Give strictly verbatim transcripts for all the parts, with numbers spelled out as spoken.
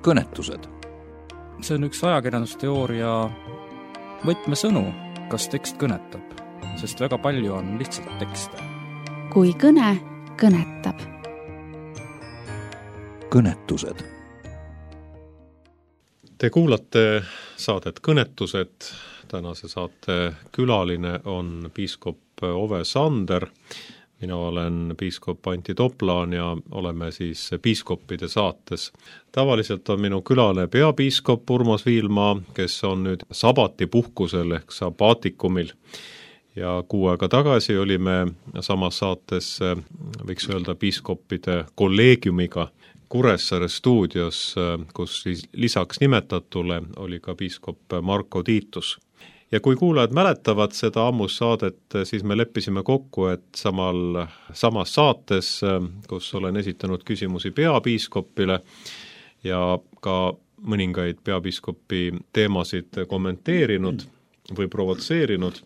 kõnetused. See on üks ajakirjandusteooria võtmesõnu, kas tekst kõnetab, sest väga palju on lihtsalt tekste. Kui kõne kõnetab. Kõnetused. Te kuulate saadet Kõnetused. Tänase saate külaline on piiskop Ove Sander. Mina olen piiskop Antti Toplaan ja oleme siis piiskoppide saates. Tavaliselt on minu külaline peapiiskop Urmas Viilmaa, kes on nüüd sabatipuhkusel ehk sabaatikumil. Ja kuu aega tagasi olime samas saates, võiks öelda, piiskoppide kolleegiumiga Kuressaare stuudios, kus lisaks nimetatule oli ka piiskop Marko Tiitus. Ja kui kuulajad mäletavad seda ammus saadet, siis me leppisime kokku, et samal, samas saates, kus olen esitanud küsimusi peapiiskopile ja ka mõningaid peapiiskopi teemasid kommenteerinud või provotseerinud,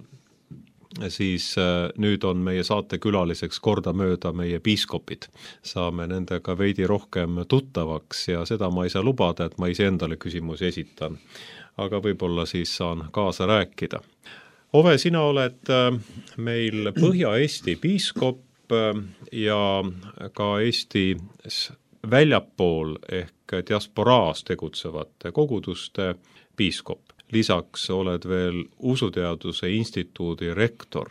siis nüüd on meie saate külaliseks kordamööda meie piiskopid. Saame nendega veidi rohkem tuttavaks ja seda ma ei saa lubada, et ma ise endale küsimusi esitan. Aga võib-olla siis saan kaasa rääkida. Ove, sina oled meil Põhja-Eesti piiskop ja ka Eesti väljapool ehk diasporaas tegutsevate koguduste piiskop. Lisaks oled veel Usuteaduse instituudi rektor.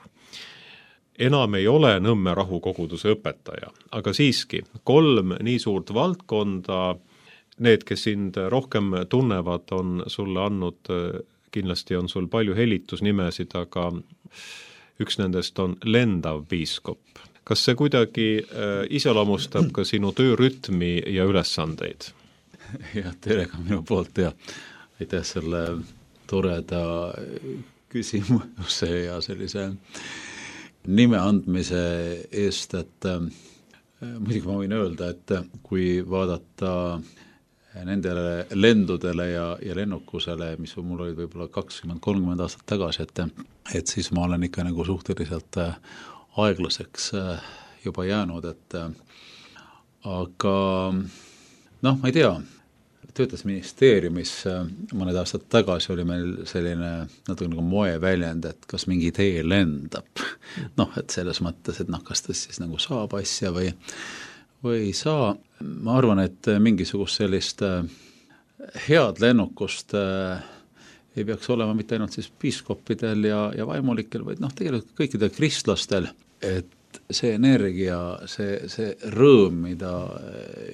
Enam ei ole Nõmme rahukoguduse õpetaja, aga siiski kolm nii suurt valdkonda. Need, kes sind rohkem tunnevad, on sulle andnud, kindlasti on sul palju helitusnimesid, aga üks nendest on lendav piiskop. Kas see kuidagi iseloomustab ka sinu töörütmi ja ülesandeid? Ja, tere ka minu poolt ja aitäh selle toreda küsimuse ja sellise nime andmise eest, et muidugi ma võin öelda, et kui vaadata nendele lendudele ja, ja lennukusele, mis mul olid võib-olla kakskümmend kolmkümmend aastat tagasi, et, et siis ma olen ikka nagu suhteliselt aeglaseks juba jäänud, et aga noh, ma ei tea, töötas ministeeriumis mõned aastad tagasi oli meil selline natuke nagu moeväljend, et kas mingi idee lendab. Noh, et selles mõttes, et noh, kas ta siis nagu saab asja või või ei saa. Ma arvan, et mingisugust sellist head lennukust ei peaks olema mitte ainult siis piiskoppidel ja, ja vaimulikel, vaid noh, tegelikult kõikidel kristlastel, et see energia, see, see rõõm, mida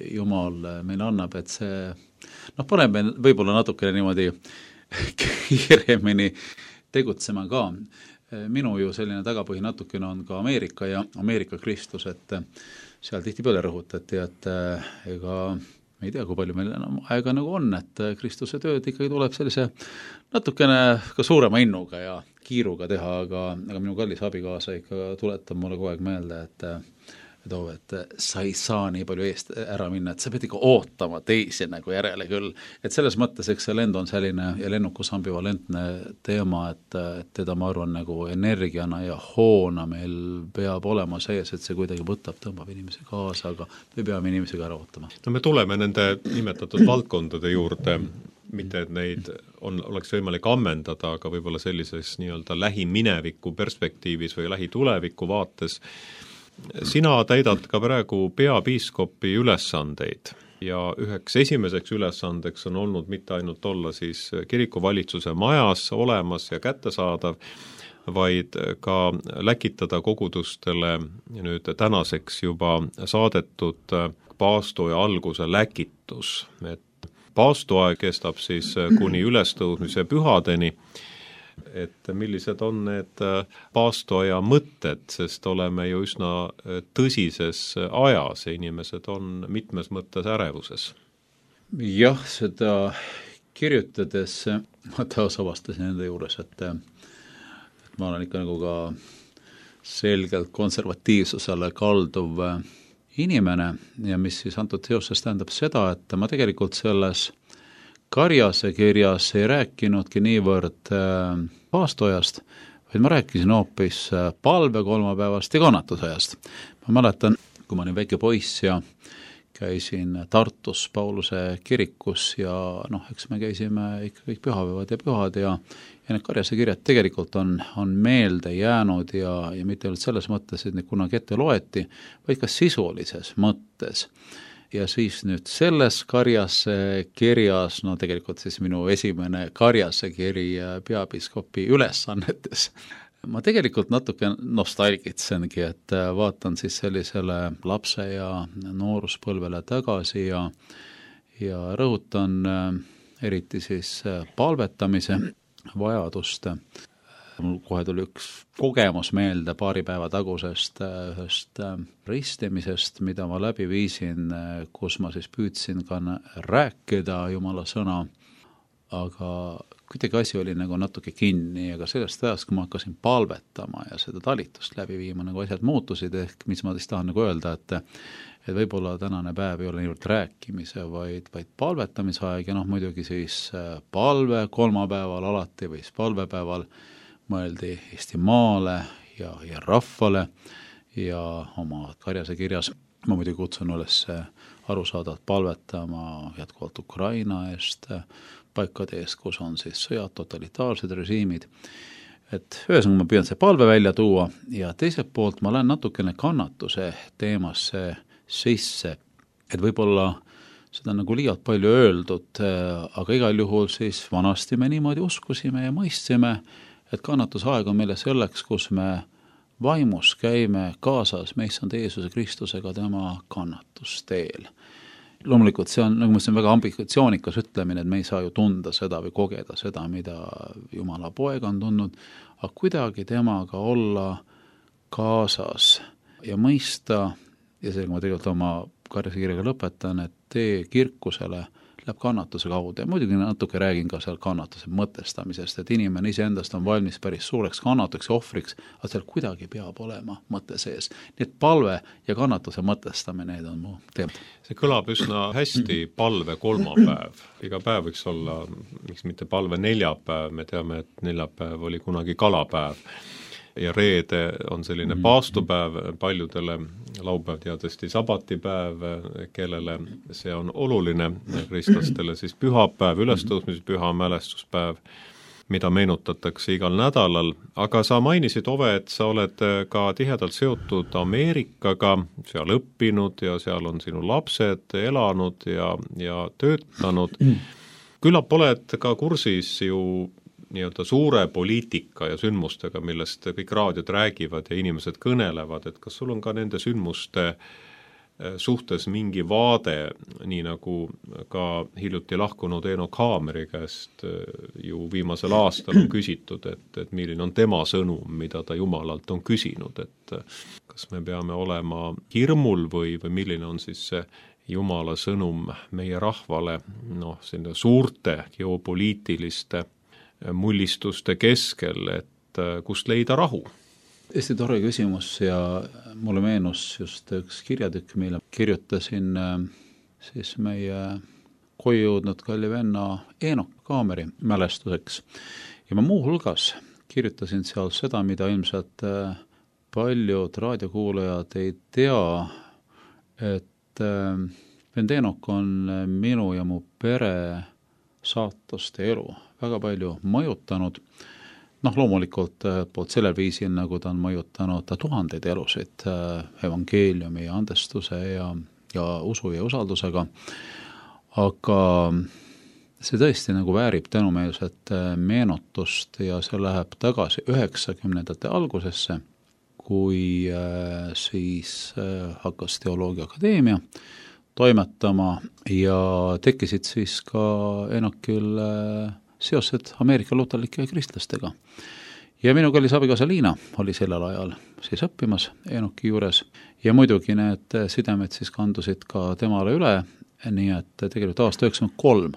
Jumal meile annab, et see noh, paneb võib-olla natukene niimoodi kiiremini tegutsema ka. Minu ju selline tagapõhi natukene on ka Ameerika ja Ameerika Kristus, et seal tihti peale rõhutati, et ega me ei tea, kui palju meil enam aega nagu on, et Kristuse tööd ikkagi tuleb sellise natukene ka suurema innuga ja kiiruga teha, aga, aga minu kallis abikaasa ikka tuletab mulle kogu aeg meelde, et et, et sa ei saa nii palju eest ära minna, et sa pead ikka ootama teisi nagu järele küll. Et selles mõttes, eks see lend on selline ja lennukus ambivalentne teema, et, et teda ma arvan nagu energiana ja hoona meil peab olema sees, et see kuidagi võtab, tõmbab inimesi kaasa, aga me peame inimesega ära ootama. No me tuleme nende nimetatud valdkondade juurde, mitte et neid on, oleks võimalik ammendada, aga võib-olla sellises nii-öelda lähimineviku perspektiivis või lähituleviku vaates. Sina täidad ka praegu peapiiskopi ülesandeid ja üheks esimeseks ülesandeks on olnud mitte ainult olla siis kirikuvalitsuse majas olemas ja kättesaadav, vaid ka läkitada kogudustele nüüd tänaseks juba saadetud paastoja alguse läkitus. Et paastoaeg kestab siis kuni ülestõusmise pühadeni, et millised on need paastoaja mõtted, sest oleme ju üsna tõsises ajas ja inimesed on mitmes mõttes ärevuses. Jah, seda kirjutades ma taas avastasin enda juures, et, et ma olen ikka nagu ka selgelt konservatiivsusele kalduv inimene ja mis siis antud seoses tähendab seda, et ma tegelikult selles Karjase kirjas ei rääkinudki niivõrd paastojast, vaid ma rääkisin hoopis palve kolmapäevast ja kannatusajast. Ma mäletan, kui ma olin väike poiss ja käisin Tartus Pauluse kirikus ja noh, eks me käisime ikka kõik pühapäevad ja pühad ja, ja need Karjase kirjad tegelikult on, on meelde jäänud ja, ja mitte ainult selles mõttes, et neid kunagi ette loeti, vaid ka sisulises mõttes. Ja siis nüüd selles Karjase kirjas, no tegelikult siis minu esimene Karjase kiri peapiiskopi ülesannetes, ma tegelikult natuke nostalgitsengi, et vaatan siis sellisele lapse ja nooruspõlvele tagasi ja, ja rõhutan eriti siis palvetamise vajadust. Mul kohe tuli üks kogemus meelde paari päeva tagusest ühest ristimisest, mida ma läbi viisin, kus ma siis püüdsin ka rääkida Jumala sõna, aga kuidagi asi oli nagu natuke kinni, aga sellest ajast, kui ma hakkasin palvetama ja seda talitust läbi viima, nagu asjad muutusid, ehk mis ma siis tahan nagu öelda, et et võib-olla tänane päev ei ole ainult rääkimise, vaid, vaid palvetamise aeg ja noh, muidugi siis palve kolmapäeval alati või siis palvepäeval mõeldi Eestimaale ja, ja rahvale ja oma Karjase kirjas ma muidugi kutsun üles arusaadavalt palvetama jätkuvalt Ukraina eest, paikade eest, kus on siis sõjad, totalitaarsed režiimid. Et ühesõnaga ma püüan see palve välja tuua ja teiselt poolt ma lähen natukene kannatuse teemasse sisse, et võib-olla seda nagu liialt palju öeldud, aga igal juhul siis vanasti me niimoodi uskusime ja mõistsime, et kannatusaeg on meile selleks, kus me vaimus käime kaasas meissand Jeesuse Kristusega tema kannatusteel. Loomulikult see on, nagu ma ütlesin, väga ambitsioonikas ütlemine, et me ei saa ju tunda seda või kogeda seda, mida Jumala poeg on tundnud, aga kuidagi temaga olla kaasas ja mõista, ja seega ma tegelikult oma Karjase kirjaga lõpetan, et tee kirkusele läheb kannatuse kaudu ja muidugi natuke räägin ka seal kannatuse mõtestamisest, et inimene iseendast on valmis päris suureks kannatuks ja ohvriks, aga seal kuidagi peab olema mõte sees. Nii et palve ja kannatuse mõtestamine, need on mu teemad. See kõlab üsna hästi, palve kolmapäev. Iga päev võiks olla, miks mitte palve neljapäev, me teame, et neljapäev oli kunagi kalapäev. Ja reede on selline paastupäev paljudele, laupäev teadesti sabatipäev, kellele see on oluline, kristlastele siis pühapäev, ülestõusmise püha mälestuspäev, mida meenutatakse igal nädalal, aga sa mainisid, Ove, et sa oled ka tihedalt seotud Ameerikaga, seal õppinud ja seal on sinu lapsed elanud ja, ja töötanud. Küllap oled ka kursis ju nii-öelda suure poliitika ja sündmustega, millest kõik raadiod räägivad ja inimesed kõnelevad, et kas sul on ka nende sündmuste suhtes mingi vaade, nii nagu ka hiljuti lahkunud Enoch Haameri käest ju viimasel aastal on küsitud, et, et milline on tema sõnum, mida ta Jumalalt on küsinud, et kas me peame olema hirmul või, või milline on siis see Jumala sõnum meie rahvale, noh, selline suurte geopoliitiliste mullistuste keskel, et kust leida rahu? Hästi tore küsimus ja mulle meenus just üks kirjatükk, mille kirjutasin siis meie koju jõudnud kalli venna Enoch Haameri mälestuseks. Ja ma muu hulgas kirjutasin seal seda, mida ilmselt paljud raadiokuulajad ei tea, et vend Enoch on minu ja mu pere saatuste elu väga palju mõjutanud. Noh, loomulikult poolt sellel viisil, nagu ta on mõjutanud tuhandeid elusid evangeeliumi ja andestuse ja, ja usu ja usaldusega. Aga see tõesti nagu väärib tänumeelset meenutust ja see läheb tagasi üheksakümnendate algusesse, kui siis hakkas Teoloogia Akadeemia toimetama ja tekkisid siis ka Enochil seosed Ameerika luterlike kristlastega. Ja minu kallis abikaasa Liina oli sellel ajal siis õppimas Enochi juures ja muidugi need sidemed siis kandusid ka temale üle, nii et tegelikult aasta üheksakümmend kolm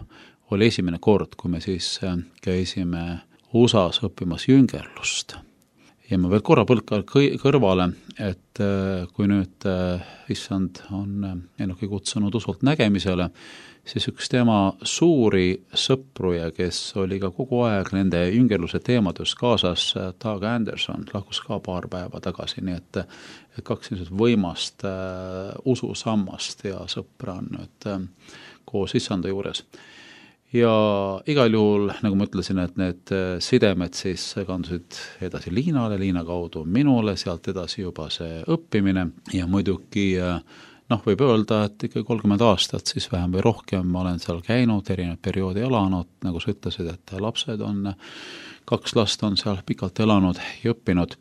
oli esimene kord, kui me siis käisime U S A-s õppimas jüngerlust. ja ma veel korra põlka kõrvale, et kui nüüd issand on Enoki kutsunud usult nägemisele, siis üks tema suuri sõpruja, kes oli ka kogu aeg nende jüngerluse teemadus kaasas, Doug Anderson, lahkus ka paar päeva tagasi, nii et, et kaks niisugust võimast äh, ususammast ja sõpra on nüüd äh, koos issanda juures. Ja igal juhul, nagu ma ütlesin, et need sidemed siis kandusid edasi Liinale, Liina kaudu minule, sealt edasi juba see õppimine ja muidugi noh, võib öelda, et ikka kolmkümmend aastat siis vähem või rohkem ma olen seal käinud, erinevad perioodi elanud, nagu sa ütlesid, et lapsed on, kaks last on seal pikalt elanud ja õppinud.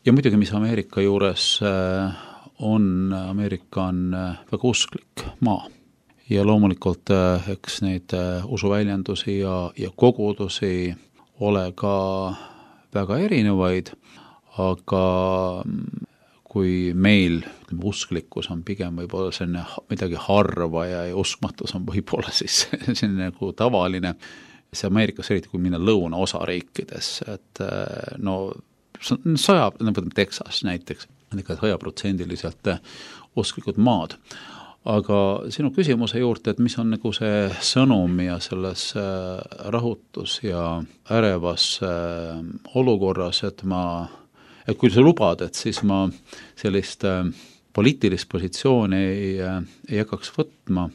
Ja muidugi, mis Ameerika juures on, Ameerika on väga usklik maa. Ja loomulikult eks neid usuväljendusi ja, ja kogudusi ole ka väga erinevaid, aga kui meil ütleme, usklikkus on pigem võib-olla selline midagi harva ja, ja uskmatus on võib-olla siis selline nagu tavaline, see Ameerikas eriti kui minna lõuna osariikides, et no sajab, nagu Texas näiteks, on ikka sajaprotsendiliselt usklikud maad. Aga sinu küsimuse juurde, et mis on nagu see sõnum ja selles rahutus ja ärevas olukorras, et ma, et kui sa lubad, et siis ma sellist poliitilist positsiooni ei, ei hakkaks võtma.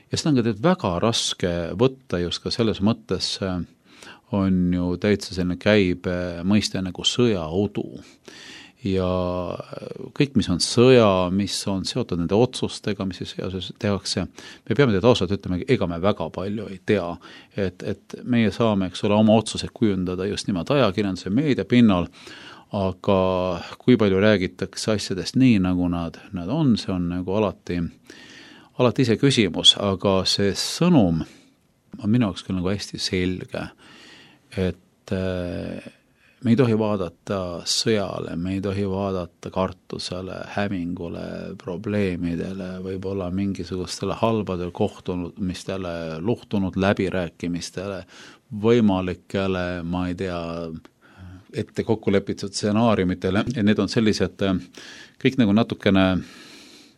Ja seda on ka väga raske võtta just ka selles mõttes on ju täitsa selline käib mõiste nagu sõjaudu. Ja kõik, mis on sõja, mis on seotud nende otsustega, mis siis tehakse, me peame teid ausalt ütlema, ega me väga palju ei tea, et, et meie saame, eks ole, oma otsused kujundada just nimelt ajakirjanduse meedia pinnal, aga kui palju räägitakse asjadest nii, nagu nad, nad on, see on nagu alati, alati ise küsimus, aga see sõnum on minu jaoks küll nagu hästi selge, et me ei tohi vaadata sõjale, me ei tohi vaadata kartusele, hämingule, probleemidele, võib-olla mingisugustele halbadele kohtumistele, luhtunud läbirääkimistele, võimalikele, ma ei tea, ette kokku lepitud stsenaariumitele, ja need on sellised kõik nagu natukene,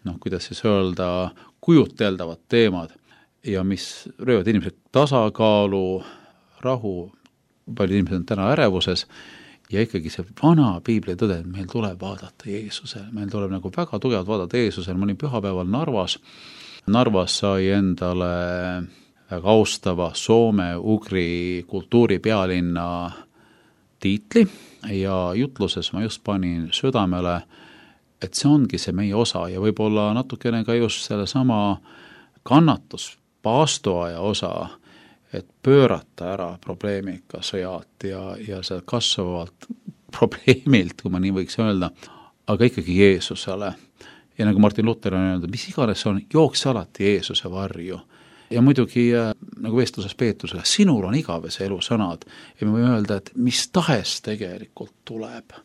noh, kuidas siis öelda, kujuteldavad teemad ja mis röövad inimesed tasakaalu, rahu, palju inimesed on täna ärevuses ja ikkagi see vana piibli tõde, et meil tuleb vaadata Jeesusele, meil tuleb nagu väga tugevalt vaadata Jeesusele, ma olin pühapäeval Narvas, Narvas sai endale väga austava Soome-Ugri kultuuripealinna tiitli ja jutluses ma just panin südamele, et see ongi see meie osa ja võib-olla natukene ka just selle sama kannatus, paastoaja osa, et pöörata ära probleemiga sõjad ja, ja see kasvavalt probleemilt, kui ma nii võiks öelda, aga ikkagi Jeesusele. Ja nagu Martin Luther on öelnud, mis iganes on, jookse alati Jeesuse varju. Ja muidugi, nagu vestluses Peetrusele, sinul on igavese elu sõnad ja me võime öelda, et mis tahes tegelikult tuleb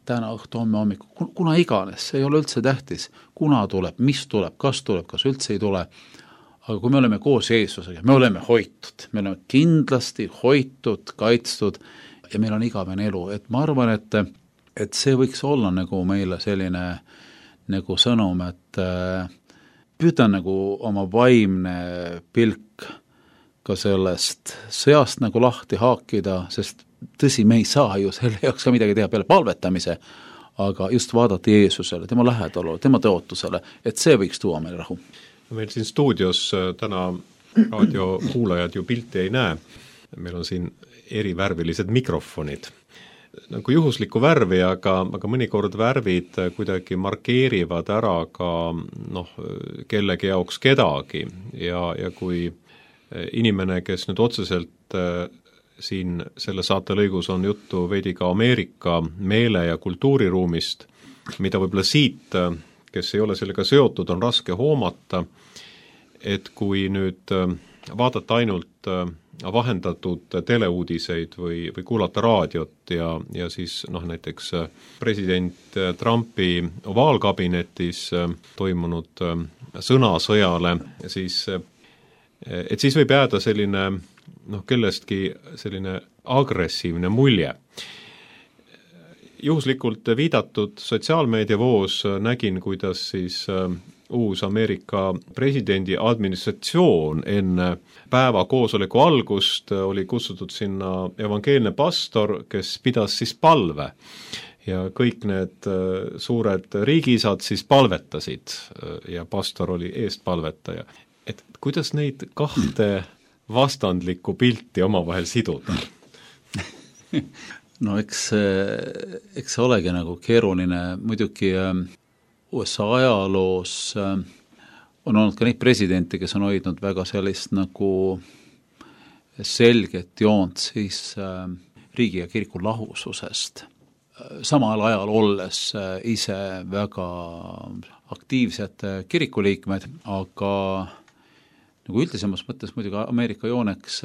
täna õhtu, homme hommiku, kuna iganes, see ei ole üldse tähtis, kuna tuleb, mis tuleb, kas tuleb, kas üldse ei tule. Aga kui me oleme koos Jeesusega, me oleme hoitud, me oleme kindlasti hoitud, kaitstud ja meil on igavene elu. Et ma arvan, et, et see võiks olla nagu meile selline nagu sõnum, et püüda nagu oma vaimne pilk ka sellest sõjast nagu lahti haakida, sest tõsi, me ei saa ju selle jaoks ka midagi teha peale palvetamise, aga just vaadata Jeesusele, tema lähedalule, tema tõotusele, et see võiks tuua meil rahu. Meil siin stuudios täna raadiokuulajad ju pilti ei näe. Meil on siin erivärvilised mikrofonid. Nagu juhuslikku värvi, aga, aga mõnikord värvid kuidagi markeerivad ära ka noh, kellegi jaoks kedagi. Ja, ja kui inimene, kes nüüd otseselt siin selle saatelõigus on juttu veidi ka Ameerika meele- ja kultuuriruumist, mida võib-olla siit, kes ei ole sellega seotud, on raske hoomata, et kui nüüd vaadata ainult vahendatud teleuudiseid või, või kuulata raadiot ja, ja siis noh, näiteks president Trumpi ovaalkabinetis toimunud sõnasõjale, siis, et siis võib jääda selline noh, kellestki selline agressiivne mulje. juhuslikult viidatud sotsiaalmeediavoos nägin, kuidas siis uus Ameerika presidendi administratsioon enne päeva koosoleku algust oli kutsutud sinna evangeelne pastor, kes pidas siis palve ja kõik need suured riigisad siis palvetasid ja pastor oli eestpalvetaja. Et kuidas neid kahte vastandlikku pilti omavahel siduda? No eks, eks see olegi nagu keeruline, muidugi U S A ajaloos on olnud ka neid presidente, kes on hoidnud väga sellist nagu selget joont siis riigi ja kiriku lahususest. Samal ajal olles ise väga aktiivsed kirikuliikmed, aga nagu üldisemas mõttes muidugi Ameerika jooneks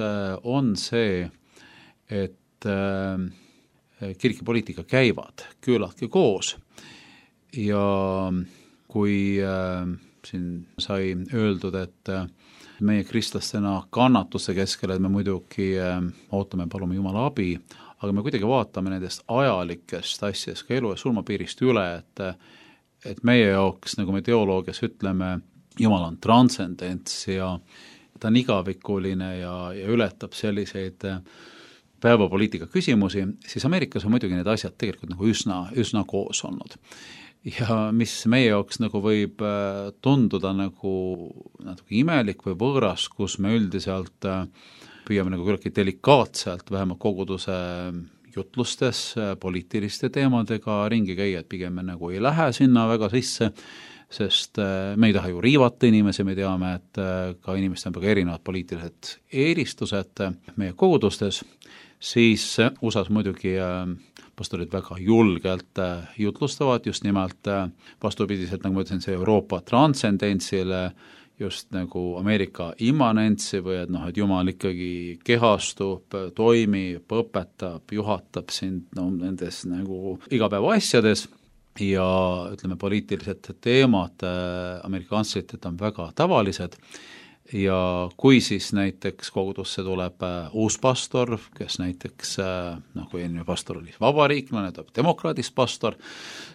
on see, et kirik ja poliitika käivad küllaltki koos. Ja kui äh, siin sai öeldud, et äh, meie kristlastena kannatuse keskel, et me muidugi äh, ootame, palume Jumala abi, aga me kuidagi vaatame nendest ajalikest asjadest ka elu ja surmapiirist üle, et, et meie jaoks, nagu me teoloogias ütleme, Jumal on transcendents ja ta on igavikuline ja, ja ületab selliseid äh, päevapoliitika küsimusi, siis Ameerikas on muidugi need asjad tegelikult nagu üsna, üsna koos olnud. Ja mis meie jaoks nagu võib tunduda nagu natuke imelik või võõras, kus me üldiselt püüame nagu küllaltki delikaatselt vähemalt koguduse jutlustes poliitiliste teemadega ringi käia, et pigem me nagu ei lähe sinna väga sisse, sest me ei taha ju riivata inimesi, me teame, et ka inimestel on väga erinevad poliitilised eelistused meie kogudustes, siis U S A-s muidugi pastorid väga julgelt jutlustavad just nimelt vastupidiselt, nagu ma ütlesin, see Euroopa transcendentsile, just nagu Ameerika immanentsi või et noh, et Jumal ikkagi kehastub, toimib, õpetab, juhatab sind no, nendes nagu igapäeva asjades ja ütleme, poliitilised teemad Ameerika kantsleritelt on väga tavalised. Ja kui siis näiteks kogudusse tuleb uus pastor, kes näiteks, noh kui eelmine pastor oli vabariiklane, tuleb demokraadist pastor,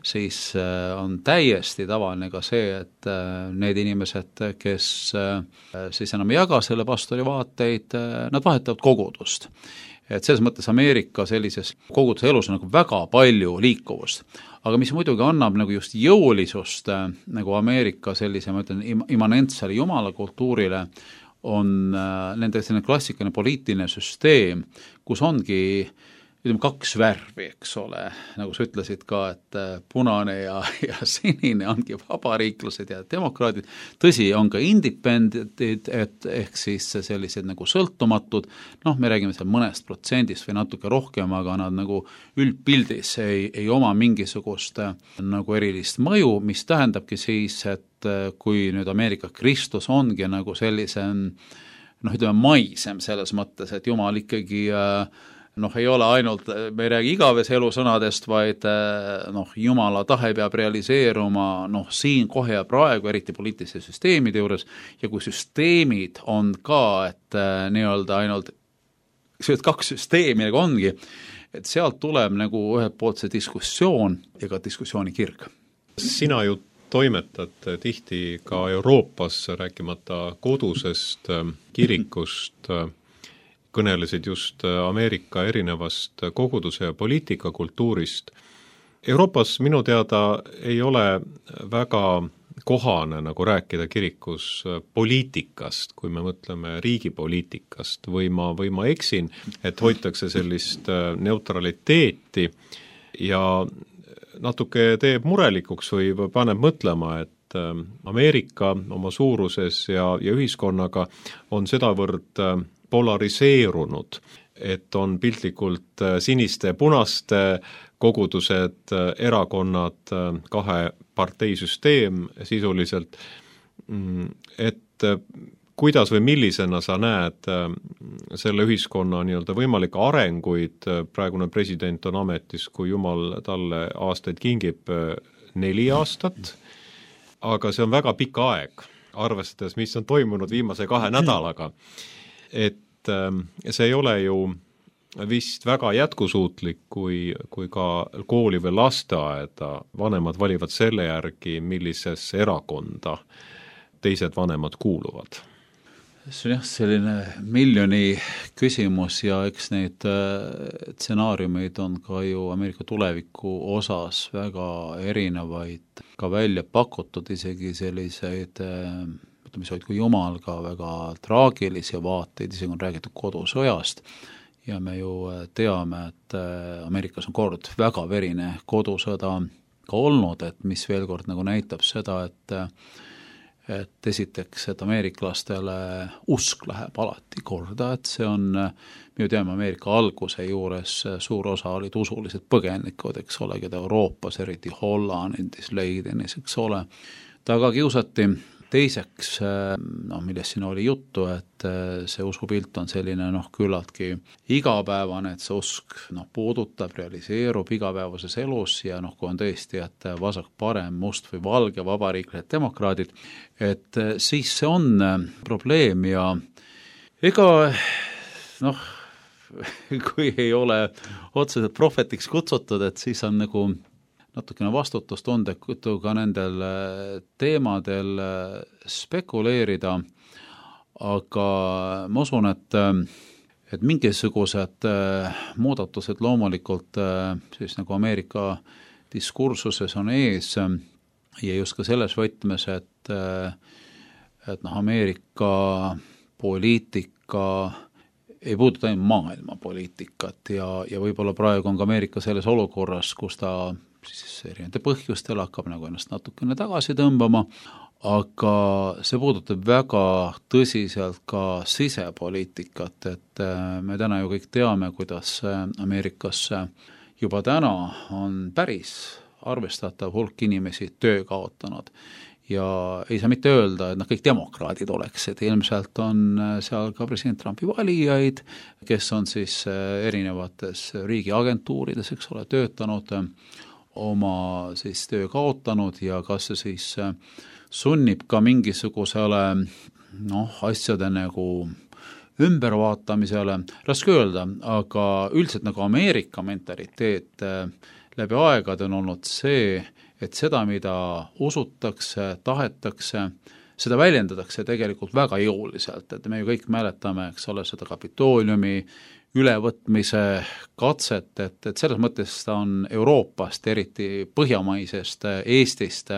siis on täiesti tavaline ka see, et need inimesed, kes siis enam ei jaga selle pastori vaateid, nad vahetavad kogudust. Et selles mõttes Ameerika sellises koguduse elus on nagu väga palju liikuvust. Aga mis muidugi annab nagu just jõulisust nagu Ameerika sellise, ma ütlen, immanentsele jumala kultuurile, on nende selline klassikaline poliitiline süsteem, kus ongi ütleme, kaks värvi, eks ole, nagu sa ütlesid ka, et punane ja, ja sinine ongi vabariiklased ja demokraadid, tõsi, on ka independentid, et ehk siis sellised nagu sõltumatud, noh, me räägime seal mõnest protsendist või natuke rohkem, aga nad nagu üldpildis ei, ei oma mingisugust nagu erilist mõju, mis tähendabki siis, et kui nüüd Ameerika Kristus ongi nagu sellise, noh, ütleme maisem selles mõttes, et Jumal ikkagi noh, ei ole ainult, me ei räägi igavese elu sõnadest, vaid noh, Jumala tahe peab realiseeruma noh, siin kohe ja praegu, eriti poliitiliste süsteemide juures, ja kui süsteemid on ka, et nii-öelda ainult kaks süsteemi nagu ongi, et sealt tuleb nagu ühelt poolt see diskussioon ja ka diskussiooni kirg. Sina ju toimetad tihti ka Euroopas, rääkimata kodusest kirikust, kõnelesid just Ameerika erinevast koguduse ja poliitikakultuurist. Euroopas minu teada ei ole väga kohane nagu rääkida kirikus poliitikast, kui me mõtleme riigipoliitikast, või ma, või ma eksin, et hoitakse sellist neutraliteeti ja natuke teeb murelikuks või paneb mõtlema, et Ameerika oma suuruses ja, ja ühiskonnaga on sedavõrd polariseerunud, et on piltlikult siniste ja punaste kogudused, erakonnad, kahe parteisüsteem sisuliselt, et kuidas või millisena sa näed selle ühiskonna nii-öelda võimalikke arenguid, praegune president on ametis, kui Jumal talle aastaid kingib neli aastat, aga see on väga pikk aeg, arvestades, mis on toimunud viimase kahe nädalaga. Et see ei ole ju vist väga jätkusuutlik, kui, kui ka kooli või lasteaeda vanemad valivad selle järgi, millisesse erakonda teised vanemad kuuluvad. See on jah selline miljoni küsimus ja eks neid stsenaariumeid on ka ju Ameerika tuleviku osas väga erinevaid, ka välja pakutud isegi selliseid, mis olid kui jumal ka väga traagilisi vaateid, isegi on räägitud kodusõjast ja me ju teame, et Ameerikas on kord väga verine kodusõda ka olnud, et mis veel kord nagu näitab seda, et et esiteks, et ameeriklastele usk läheb alati korda, et see on, me ju teame Ameerika alguse juures suur osa olid usulised põgenikud, eks ole, keda Euroopas, eriti Hollandis, Leidenis, eks ole, taga kiusati. Teiseks, no, millest siin oli juttu, et see usupilt on selline noh, küllaltki igapäevane, et see usk noh, puudutab, realiseerub igapäevases elus ja noh, kui on tõesti, et vasak, parem, must või valge, vabariiklased, demokraadid, et siis see on probleem ja ega noh, kui ei ole otseselt prohvetiks kutsutud, et siis on nagu natukene vastutustundetu ka nendel teemadel spekuleerida, aga ma usun, et, et mingisugused muudatused loomulikult siis nagu Ameerika diskursuses on ees ja just ka selles võtmes, et, et noh, Ameerika poliitika ei puuduta ainult maailmapoliitikat ja, ja võib-olla praegu on ka Ameerika selles olukorras, kus ta siis erinevate põhjustel hakkab nagu ennast natukene tagasi tõmbama, aga see puudutab väga tõsiselt ka sisepoliitikat, et me täna ju kõik teame, kuidas Ameerikas juba täna on päris arvestatav hulk inimesi töö kaotanud ja ei saa mitte öelda, et noh, kõik demokraadid oleks, et ilmselt on seal ka president Trumpi valijaid, kes on siis erinevates riigiagentuurides, eks ole, töötanud, oma siis töö kaotanud ja kas see siis sunnib ka mingisugusele noh, asjade nagu ümbervaatamisele, raske öelda, aga üldiselt nagu Ameerika mentaliteet läbi aegade on olnud see, et seda, mida usutakse, tahetakse, seda väljendatakse tegelikult väga jõuliselt, et me ju kõik mäletame, eks ole, seda Kapitooliumi ülevõtmise katset, et, et selles mõttes ta on Euroopast, eriti põhjamaisest Eestist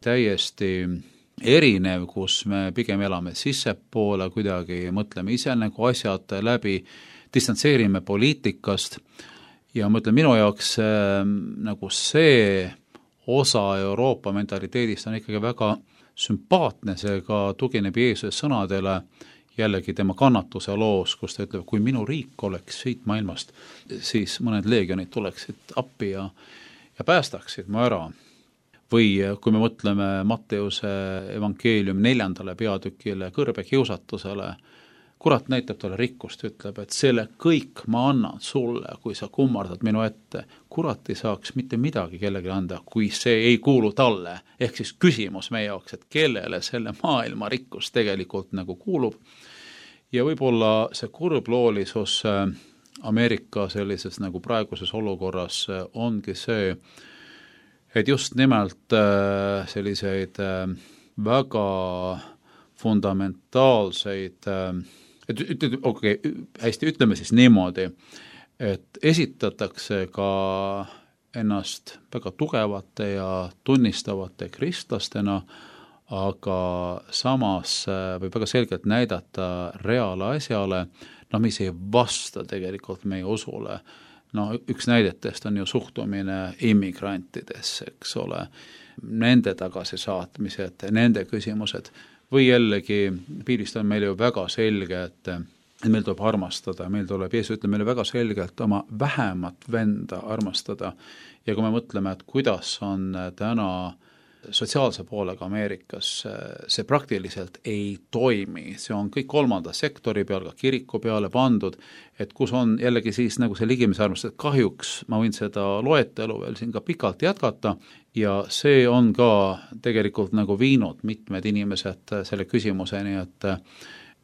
täiesti erinev, kus me pigem elame sissepoole, kuidagi mõtleme ise nagu asjad läbi, distantseerime poliitikast ja ma ütlen, minu jaoks nagu see osa Euroopa mentaliteedist on ikkagi väga sümpaatne, see ka tugineb Jeesuse sõnadele, jällegi tema kannatuse loos, kus ta ütleb, kui minu riik oleks siit maailmast, siis mõned leegionid tuleksid appi ja, ja päästaksid mu ära. Või kui me mõtleme Matteuse evangeeliumi neljandale peatükile kõrbekiusatusele, kurat näitab talle rikkust, ütleb, et selle kõik ma annan sulle, kui sa kummardad minu ette. Kurat ei saaks mitte midagi kellelegi anda, kui see ei kuulu talle. Ehk siis küsimus meie jaoks, et kellele selle maailma rikkus tegelikult nagu kuulub. Ja võib-olla see kurbloolisus Ameerika sellises nagu praeguses olukorras ongi see, et just nimelt selliseid väga fundamentaalseid, et okei, okay, hästi ütleme siis niimoodi, et esitatakse ka ennast väga tugevate ja tunnistavate kristlastena, aga samas võib väga selgelt näidata reaalasjale, no mis ei vasta tegelikult meie usule. No üks näidetest on ju suhtumine immigrantidesse, eks ole, nende tagasisaatmised, nende küsimused, või jällegi piirist on meil ju väga selge, et meil tuleb armastada, meil tuleb, Jeesus ütleb meile väga selgelt oma vähemat venda armastada ja kui me mõtleme, et kuidas on täna sotsiaalse poolega Ameerikas, see praktiliselt ei toimi, see on kõik kolmanda sektori peal, ka kiriku peale pandud, et kus on jällegi siis nagu see ligimise armastus, et kahjuks ma võin seda loetelu veel siin ka pikalt jätkata ja see on ka tegelikult nagu viinud mitmed inimesed selle küsimuseni, et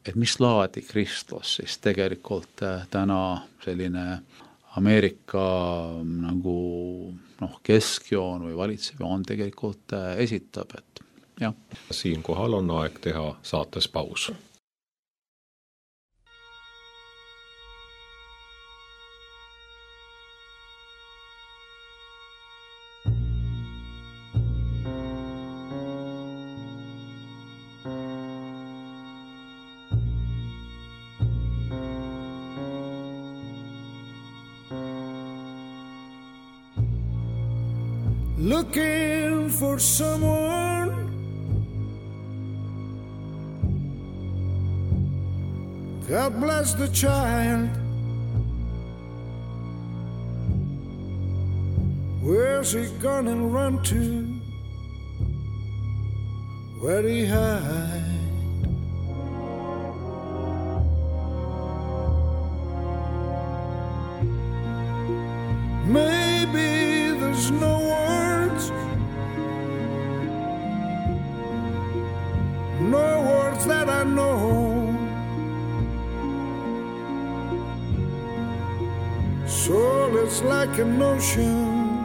et mis laadi kristlus siis tegelikult täna selline Ameerika nagu noh, keskjoon või valitsejoon tegelikult esitab, et jah. Siinkohal on aeg teha saates paus. Looking for someone God bless the child. Where's he gonna run to? Where'd he hide? Maybe there's no words, no words that I know. Soul is like an ocean,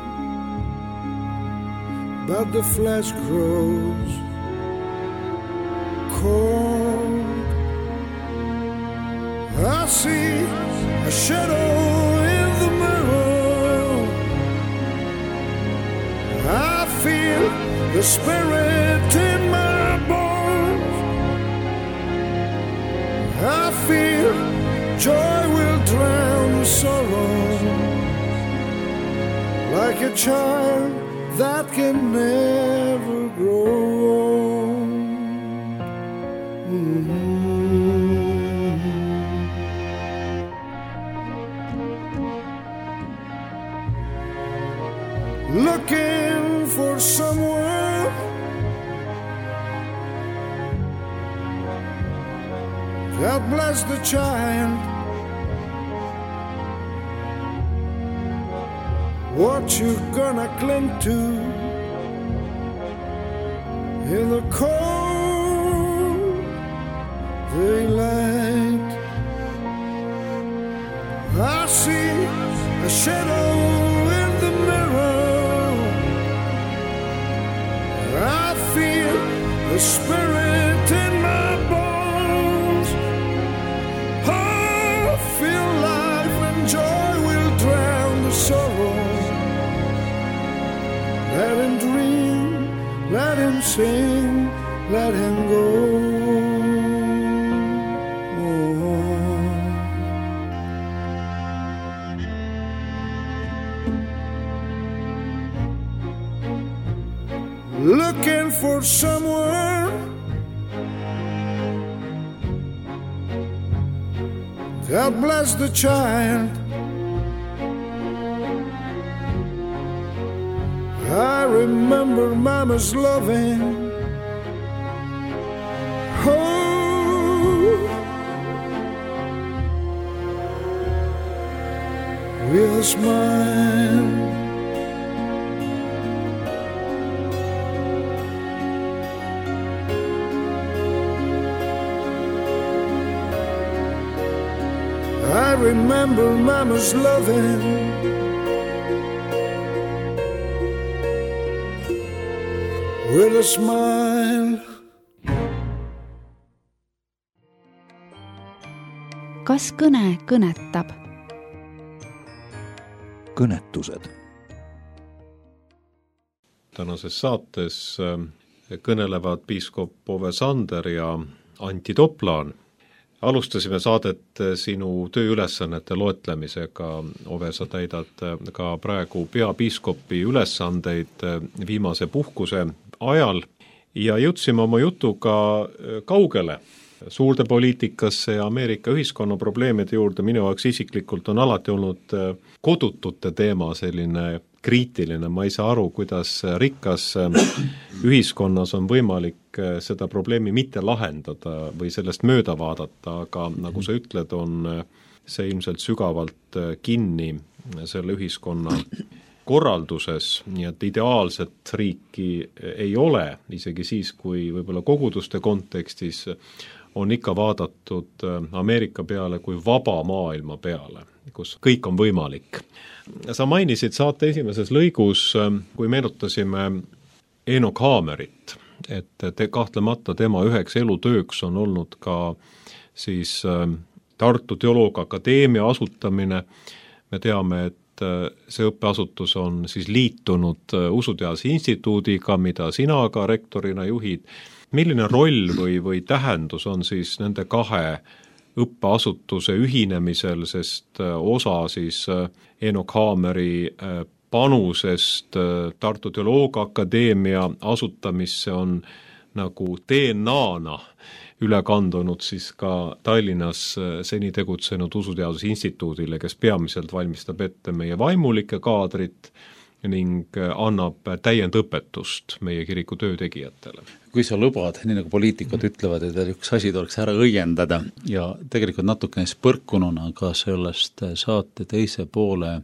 but the flesh grows cold. I see a shadow in the mirror. I feel the spirit in my bones. I feel joy will drown sorrow, like a child that can never grow old. Mm-hmm. Looking for someone God bless the child. What you gonna cling to in the cold daylight? I see a shadow in the mirror. I feel the spirit in my bones. I feel life and joy will drown the sorrow. Let him dream, let him sing, let him go. Looking for someone God bless the child. I remember Mama's loving. Oh, with a smile. I remember Mama's loving. With a smile. Kas kõne kõnetab? Kõnetused. Tänases saates kõnelevad piiskop Ove Sander ja Antti Toplaan. Alustasime saadet sinu tööülesannete loetlemisega. Ove, sa täidad ka praegu peapiiskopi ülesandeid viimase puhkuse ajal ja jõudsime oma jutuga kaugele suurde poliitikasse ja Ameerika ühiskonna probleemide juurde. Minu jaoks isiklikult on alati olnud kodutute teema selline kriitiline. Ma ei saa aru, kuidas rikas ühiskonnas on võimalik seda probleemi mitte lahendada või sellest mööda vaadata, aga nagu sa ütled, on see ilmselt sügavalt kinni selle ühiskonna korralduses, nii et ideaalset riiki ei ole, isegi siis, kui võib-olla koguduste kontekstis on ikka vaadatud Ameerika peale kui vaba maailma peale, kus kõik on võimalik. Sa mainisid saate esimeses lõigus, kui meenutasime Enoch Haamerit, et te, kahtlemata tema üheks elutööks on olnud ka siis Tartu Teoloogiaakadeemia asutamine. Me teame, et see õppeasutus on siis liitunud Usuteaduse Instituudiga, mida sina ka rektorina juhid. Milline roll või, või tähendus on siis nende kahe õppeasutuse ühinemisel, sest osa siis Enoch Haameri panusest Tartu Teoloogiaakadeemia asutamisse on nagu D N A-na üle kandunud siis ka Tallinnas seni tegutsenud Usuteaduse Instituudile, kes peamiselt valmistab ette meie vaimulike kaadrit ning annab täiendõpetust meie kiriku töötegijatele. Kui sa lubad, nii nagu poliitikud ütlevad, et üks asi tuleks ära õiendada ja tegelikult natukene põrkununa ka sellest saate teise poole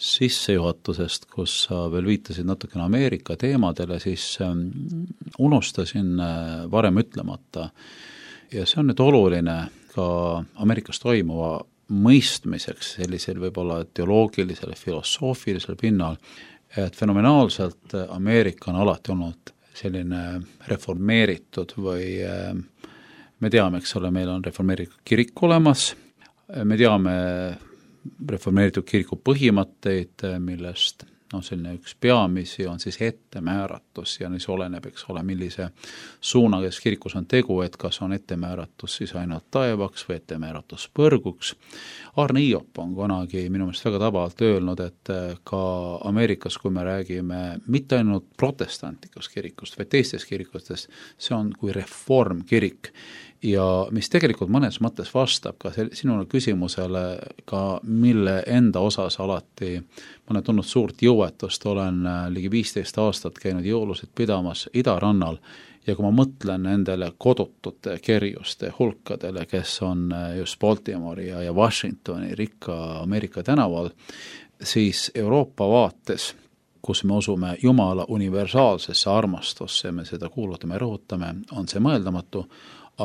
sissejuhatusest, kus sa veel viitasid natukene Ameerika teemadele, siis unustasin varem ütlemata ja see on nüüd oluline ka Ameerikas toimuva mõistmiseks sellisel võib-olla teoloogilisel, filosoofilisel pinnal, et fenomenaalselt Ameerika on alati olnud selline reformeeritud või me teame, eks ole, meil on reformeeritud kirik olemas, me teame reformeeritud kiriku põhimõtteid, millest no selline üks peamisi on siis ettemääratus ja siis oleneb, eks ole, millise suuna, kes kirikus on tegu, et kas on ettemääratus siis ainult taevaks või ettemääratus põrguks. Arne Iop on kunagi minu meelest väga tabavalt öelnud, et ka Ameerikas, kui me räägime mitte ainult protestantlikust kirikust, vaid teistest kirikustest, see on kui reformkirik ja mis tegelikult mõnes mõttes vastab ka sinule küsimusele, ka mille enda osas alati ma olen tundnud suurt jõuetust, olen ligi viisteist aastat käinud jõulusid pidamas Idarannal ja kui ma mõtlen nendele kodutute kerjuste hulkadele, kes on just Baltimori ja, ja Washingtoni rikka Ameerika tänaval, siis Euroopa vaates, kus me usume Jumala universaalsesse armastusse, me seda kuulutame, rõhutame, on see mõeldamatu,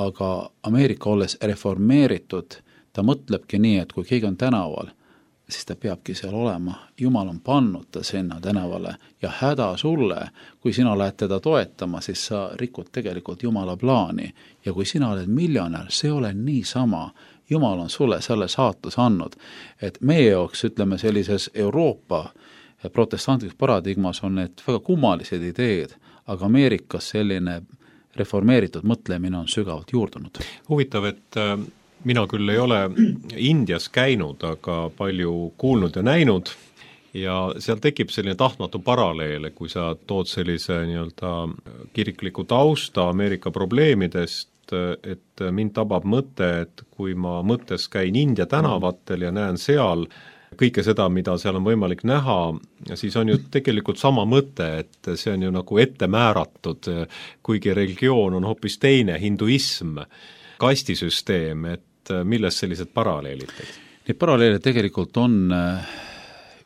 aga Ameerika olles reformeeritud, ta mõtlebki nii, et kui keegi on tänaval, siis ta peabki seal olema. Jumal on pannud ta sinna tänavale ja häda sulle, kui sina lähed teda toetama, siis sa rikud tegelikult Jumala plaani ja kui sina oled miljonär, see ole niisama. Jumal on sulle selle saatus andnud, et meie jaoks, ütleme sellises Euroopa protestantlikus paradigmas on need väga kummalised ideed, aga Ameerikas selline reformeeritud mõtlemine on sügavalt juurdunud. Huvitav, et mina küll ei ole Indias käinud, aga palju kuulnud ja näinud ja seal tekib selline tahtmatu paralleel, kui sa tood sellise nii-öelda kirikliku tausta Ameerika probleemidest, et mind tabab mõte, et kui ma mõttes käin India tänavatel ja näen seal kõike seda, mida seal on võimalik näha, siis on ju tegelikult sama mõte, et see on ju nagu ette määratud, kuigi religioon on hoopis teine, hinduism, kastisüsteem, et milles sellised paralleelid? Need paralleelid tegelikult on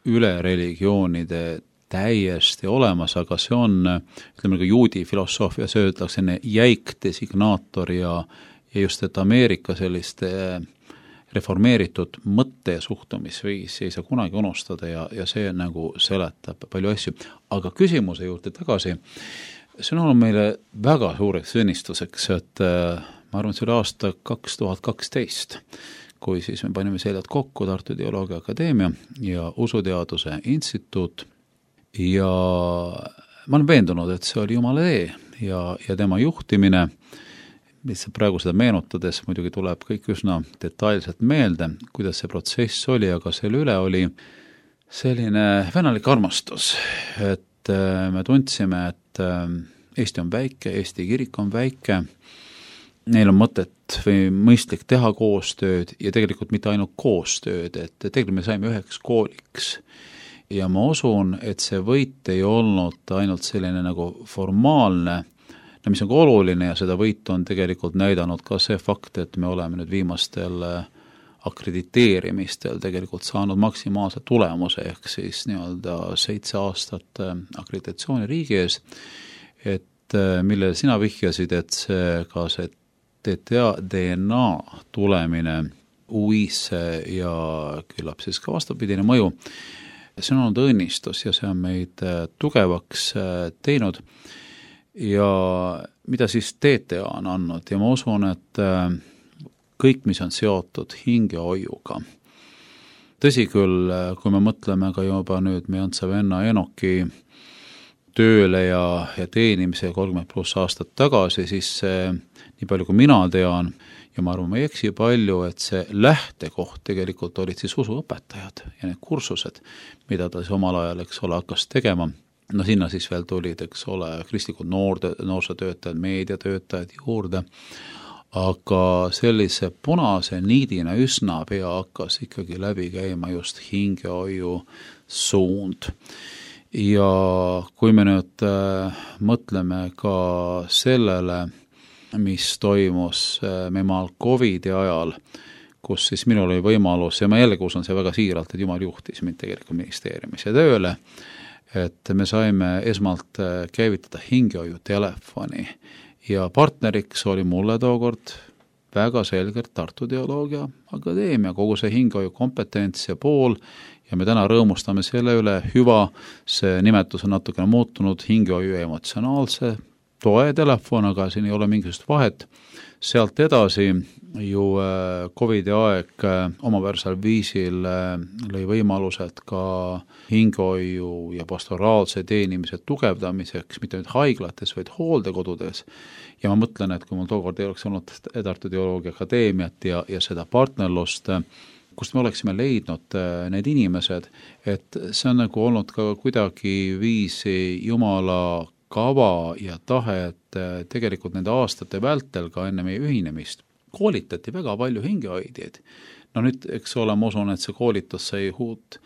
üle religioonide täiesti olemas, aga see on, ütleme ka juudi filosoofias öeldakse selline jäik designaator ja, ja just, et Ameerika selliste reformeeritud mõtte ja suhtumisviis ei saa kunagi unustada ja, ja see nagu seletab palju asju. Aga küsimuse juurde tagasi, see on olnud meile väga suureks õnnistuseks, et ma arvan, et see oli aasta kaks tuhat kaksteist, kui siis me panime seljad kokku Tartu Teoloogiaakadeemia ja Usuteaduse Instituut ja ma olen veendunud, et see oli Jumala tee ja, ja tema juhtimine, lihtsalt praegu seda meenutades muidugi tuleb kõik üsna detailselt meelde, kuidas see protsess oli, aga selle üle oli selline venalik armastus, et me tundsime, et Eesti on väike, Eesti kirik on väike, neil on mõtet või mõistlik teha koostööd ja tegelikult mitte ainult koostööd, et tegelikult me saime üheks kooliks ja ma usun, et see võit ei olnud ainult selline nagu formaalne, mis on ka oluline ja seda võitu on tegelikult näidanud ka see fakt, et me oleme nüüd viimastel akrediteerimistel tegelikult saanud maksimaalse tulemuse, ehk siis nii-öelda seitse aastat akreditatsiooni riigi ees, et millele sina vihjasid, et see ka see D N A tulemine U I-sse ja küllap siis ka vastupidine mõju, see on olnud õnnistus ja see on meid tugevaks teinud ja mida siis D T A on andnud ja ma usun, et kõik, mis on seotud hingehoiuga. Tõsi küll, kui me mõtleme ka juba nüüd meie Antsa venna Enoki tööle ja, ja teenimise kolmkümmend pluss aastat tagasi, siis see, nii palju kui mina tean, ja ma arvan, ma ei eksi palju, et see lähtekoht tegelikult olid siis usuõpetajad ja need kursused, mida ta siis omal ajal, eks ole, hakkas tegema. No sinna siis veel tulid, eks ole, kristlikud noorde, noorsootöötajad, meediatöötajad juurde, aga sellise punase niidina üsna pea hakkas ikkagi läbi käima just hingehoiu suund. Ja kui me nüüd äh, mõtleme ka sellele, mis toimus äh, memaal Covidi ajal, kus siis minul oli võimalus, ja ma jällegi usun see väga siiralt, et Jumal juhtis mind tegelikult ministeeriumis ja tööle, et me saime esmalt äh, käivitada hingehoiu telefoni ja partneriks oli mulle tookord väga selgelt Tartu Teoloogia Akadeemia, kogu see hingehoiu kompetents ja pool, ja me täna rõõmustame selle üle, hüva, see nimetus on natukene muutunud, hingehoiu emotsionaalse toe telefon, aga siin ei ole mingisugust vahet. Sealt edasi ju Covidi aeg omaväärsel viisil lõi võimalused ka hingehoiu ja pastoraalse teenimise tugevdamiseks, mitte nüüd haiglates, vaid hooldekodudes. Ja ma mõtlen, et kui mul tookord ei oleks olnud Tartu Teoloogia Akadeemiat ja, ja seda partnerlust, kust me oleksime leidnud need inimesed, et see on nagu olnud ka kuidagi viisi Jumala kava ja tahe, et tegelikult nende aastate vältel ka enne meie ühinemist koolitati väga palju hingehoidjaid. No nüüd, eks ole, ma usun, et see koolitus sai uut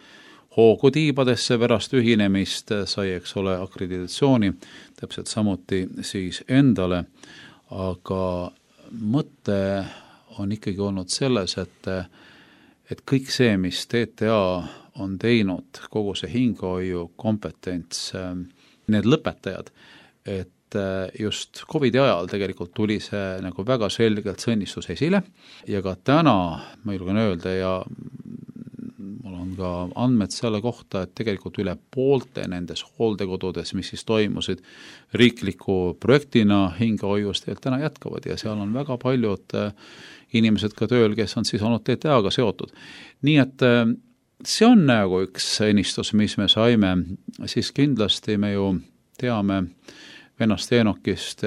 hoogu tiibadesse pärast ühinemist, sai, eks ole, akreditatsiooni, täpselt samuti siis endale, aga mõte on ikkagi olnud selles, et et kõik see, mis D T A on teinud, kogu see hingehoiu kompetents, need lõpetajad, et just Covidi ajal tegelikult tuli see nagu väga selgelt see õnnistus esile ja ka täna, ma julgen öelda, ja mul on ka andmed selle kohta, et tegelikult üle poolte nendes hooldekodudes, mis siis toimusid riikliku projektina hingehoiust, täna jätkavad ja seal on väga paljud inimesed ka tööl, kes on siis olnud D T A-ga seotud. Nii et see on nagu üks õnnistus, mis me saime, siis kindlasti me ju teame vennast Enokist,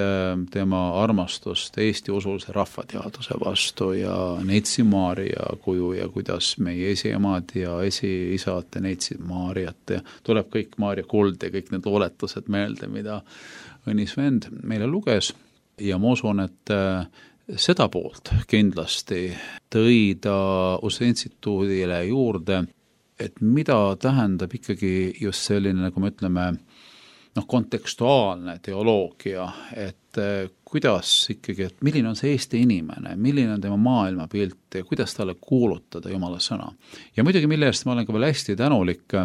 tema armastust Eesti usulise rahvateaduse vastu ja Neitsi Maarja kuju ja kuidas meie esiemad ja esiisad neitsid Maarjat ja tuleb kõik Maarja kuld ja kõik need looletused meelde, mida õnnis vend meile luges ja ma usun, et seda poolt kindlasti tõi ta Usu Instituudile juurde, et mida tähendab ikkagi just selline, nagu me ütleme, noh, kontekstuaalne teoloogia, et kuidas ikkagi, et milline on see Eesti inimene, milline on tema maailmapilt ja kuidas talle kuulutada Jumala sõna. Ja muidugi, mille eest ma olen ka veel hästi tänulik,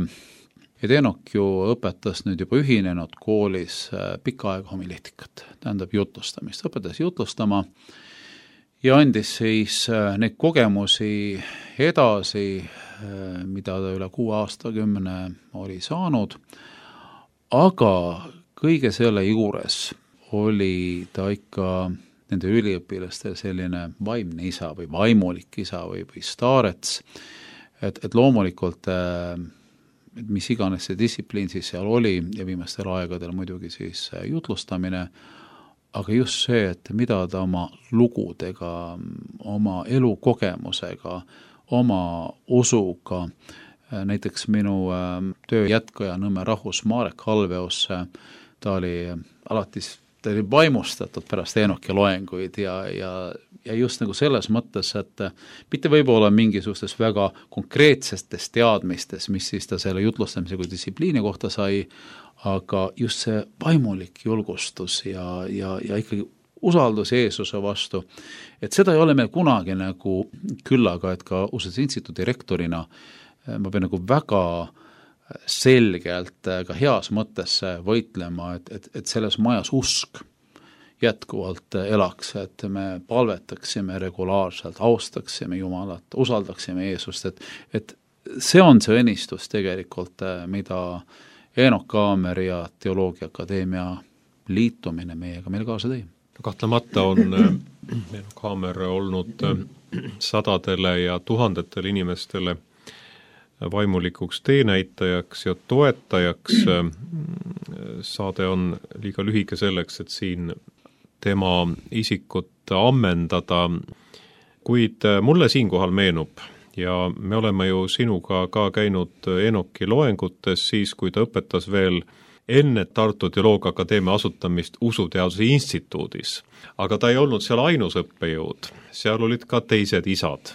et Enok ju õpetas nüüd juba ühinenud koolis pikka aega homiletikat, tähendab jutlustamist, õpetas jutlustama ja andis siis neid kogemusi edasi, mida ta üle kuue aastakümne oli saanud, aga kõige selle juures oli ta ikka nende üliõpilastel selline vaimne isa või vaimulik isa või, või staarets, et, et loomulikult et mis iganes see distsipliin siis seal oli ja viimastel aegadel muidugi siis jutlustamine, aga just see, et mida ta oma lugudega, oma elukogemusega, oma usuga, näiteks minu töö jätkaja Nõmme rahvus Marek Halveus, ta oli alati ta oli vaimustatud pärast Enoki loenguid ja, ja, ja just nagu selles mõttes, et mitte võib-olla mingisugustes väga konkreetsetes teadmistes, mis siis ta selle jutlustamise kui distsipliini kohta sai, aga just see vaimulik julgustus ja, ja, ja ikkagi usaldus Jeesuse vastu, et seda ei ole meil kunagi nagu küllaga, et ka Usu Instituudi rektorina ma pean nagu väga selgelt ka heas mõttes võitlema, et, et, et selles majas usk jätkuvalt elaks, et me palvetaksime regulaarselt, austaksime Jumalat, usaldaksime Jeesust, et, et see on see õnnistus tegelikult, mida Eenok Kaamer ja Teoloogia Akadeemia liitumine meiega meile kaasa tõi. Kahtlemata on Eenok Kaamer olnud sadadele ja tuhandetele inimestele vaimulikuks teenäitajaks ja toetajaks. Saade on liiga lühike selleks, et siin tema isikut ammendada, kuid mulle siinkohal meenub ja me oleme ju sinuga ka käinud Eenoki loengutes siis, kui ta õpetas veel enne Tartu Teoloogia Akadeemia asutamist Usuteaduse instituudis. Aga ta ei olnud seal ainus õppejõud, seal olid ka teised isad.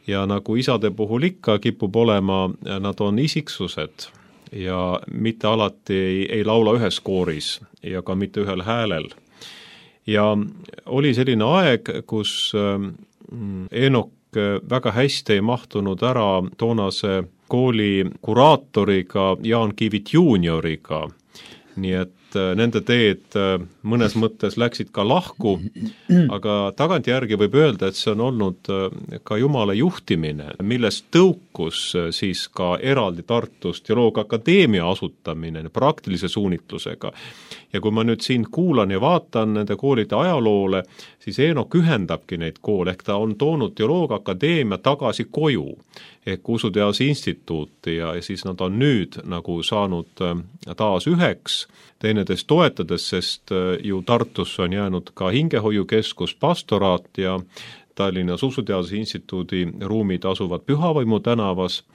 Ja nagu isade puhul ikka kipub olema, nad on isiksused ja mitte alati ei, ei laula ühes kooris ja ka mitte ühel häälel. Ja oli selline aeg, kus Eenok väga hästi ei mahtunud ära toonase kooli kuraatoriga Jaan Kivit juunioriga, nii et nende teed mõnes mõttes läksid ka lahku, aga tagantjärgi võib öelda, et see on olnud ka Jumala juhtimine, millest tõukus siis ka eraldi Tartus Teoloogia Akadeemia asutamine praktilise suunitlusega. Ja kui ma nüüd siin kuulan ja vaatan nende koolide ajaloole, siis Eenok ühendabki neid koole, ehk ta on toonud Teoloogia Akadeemia tagasi koju, ehk Usuteaduse instituuti ja, ja siis nad on nüüd nagu saanud taas üheks, teineteist toetades, sest ju Tartus on jäänud ka hingehoiukeskus, pastoraat ja Tallinnas Usuteaduse instituudi ruumid asuvad Pühavaimu tänavas.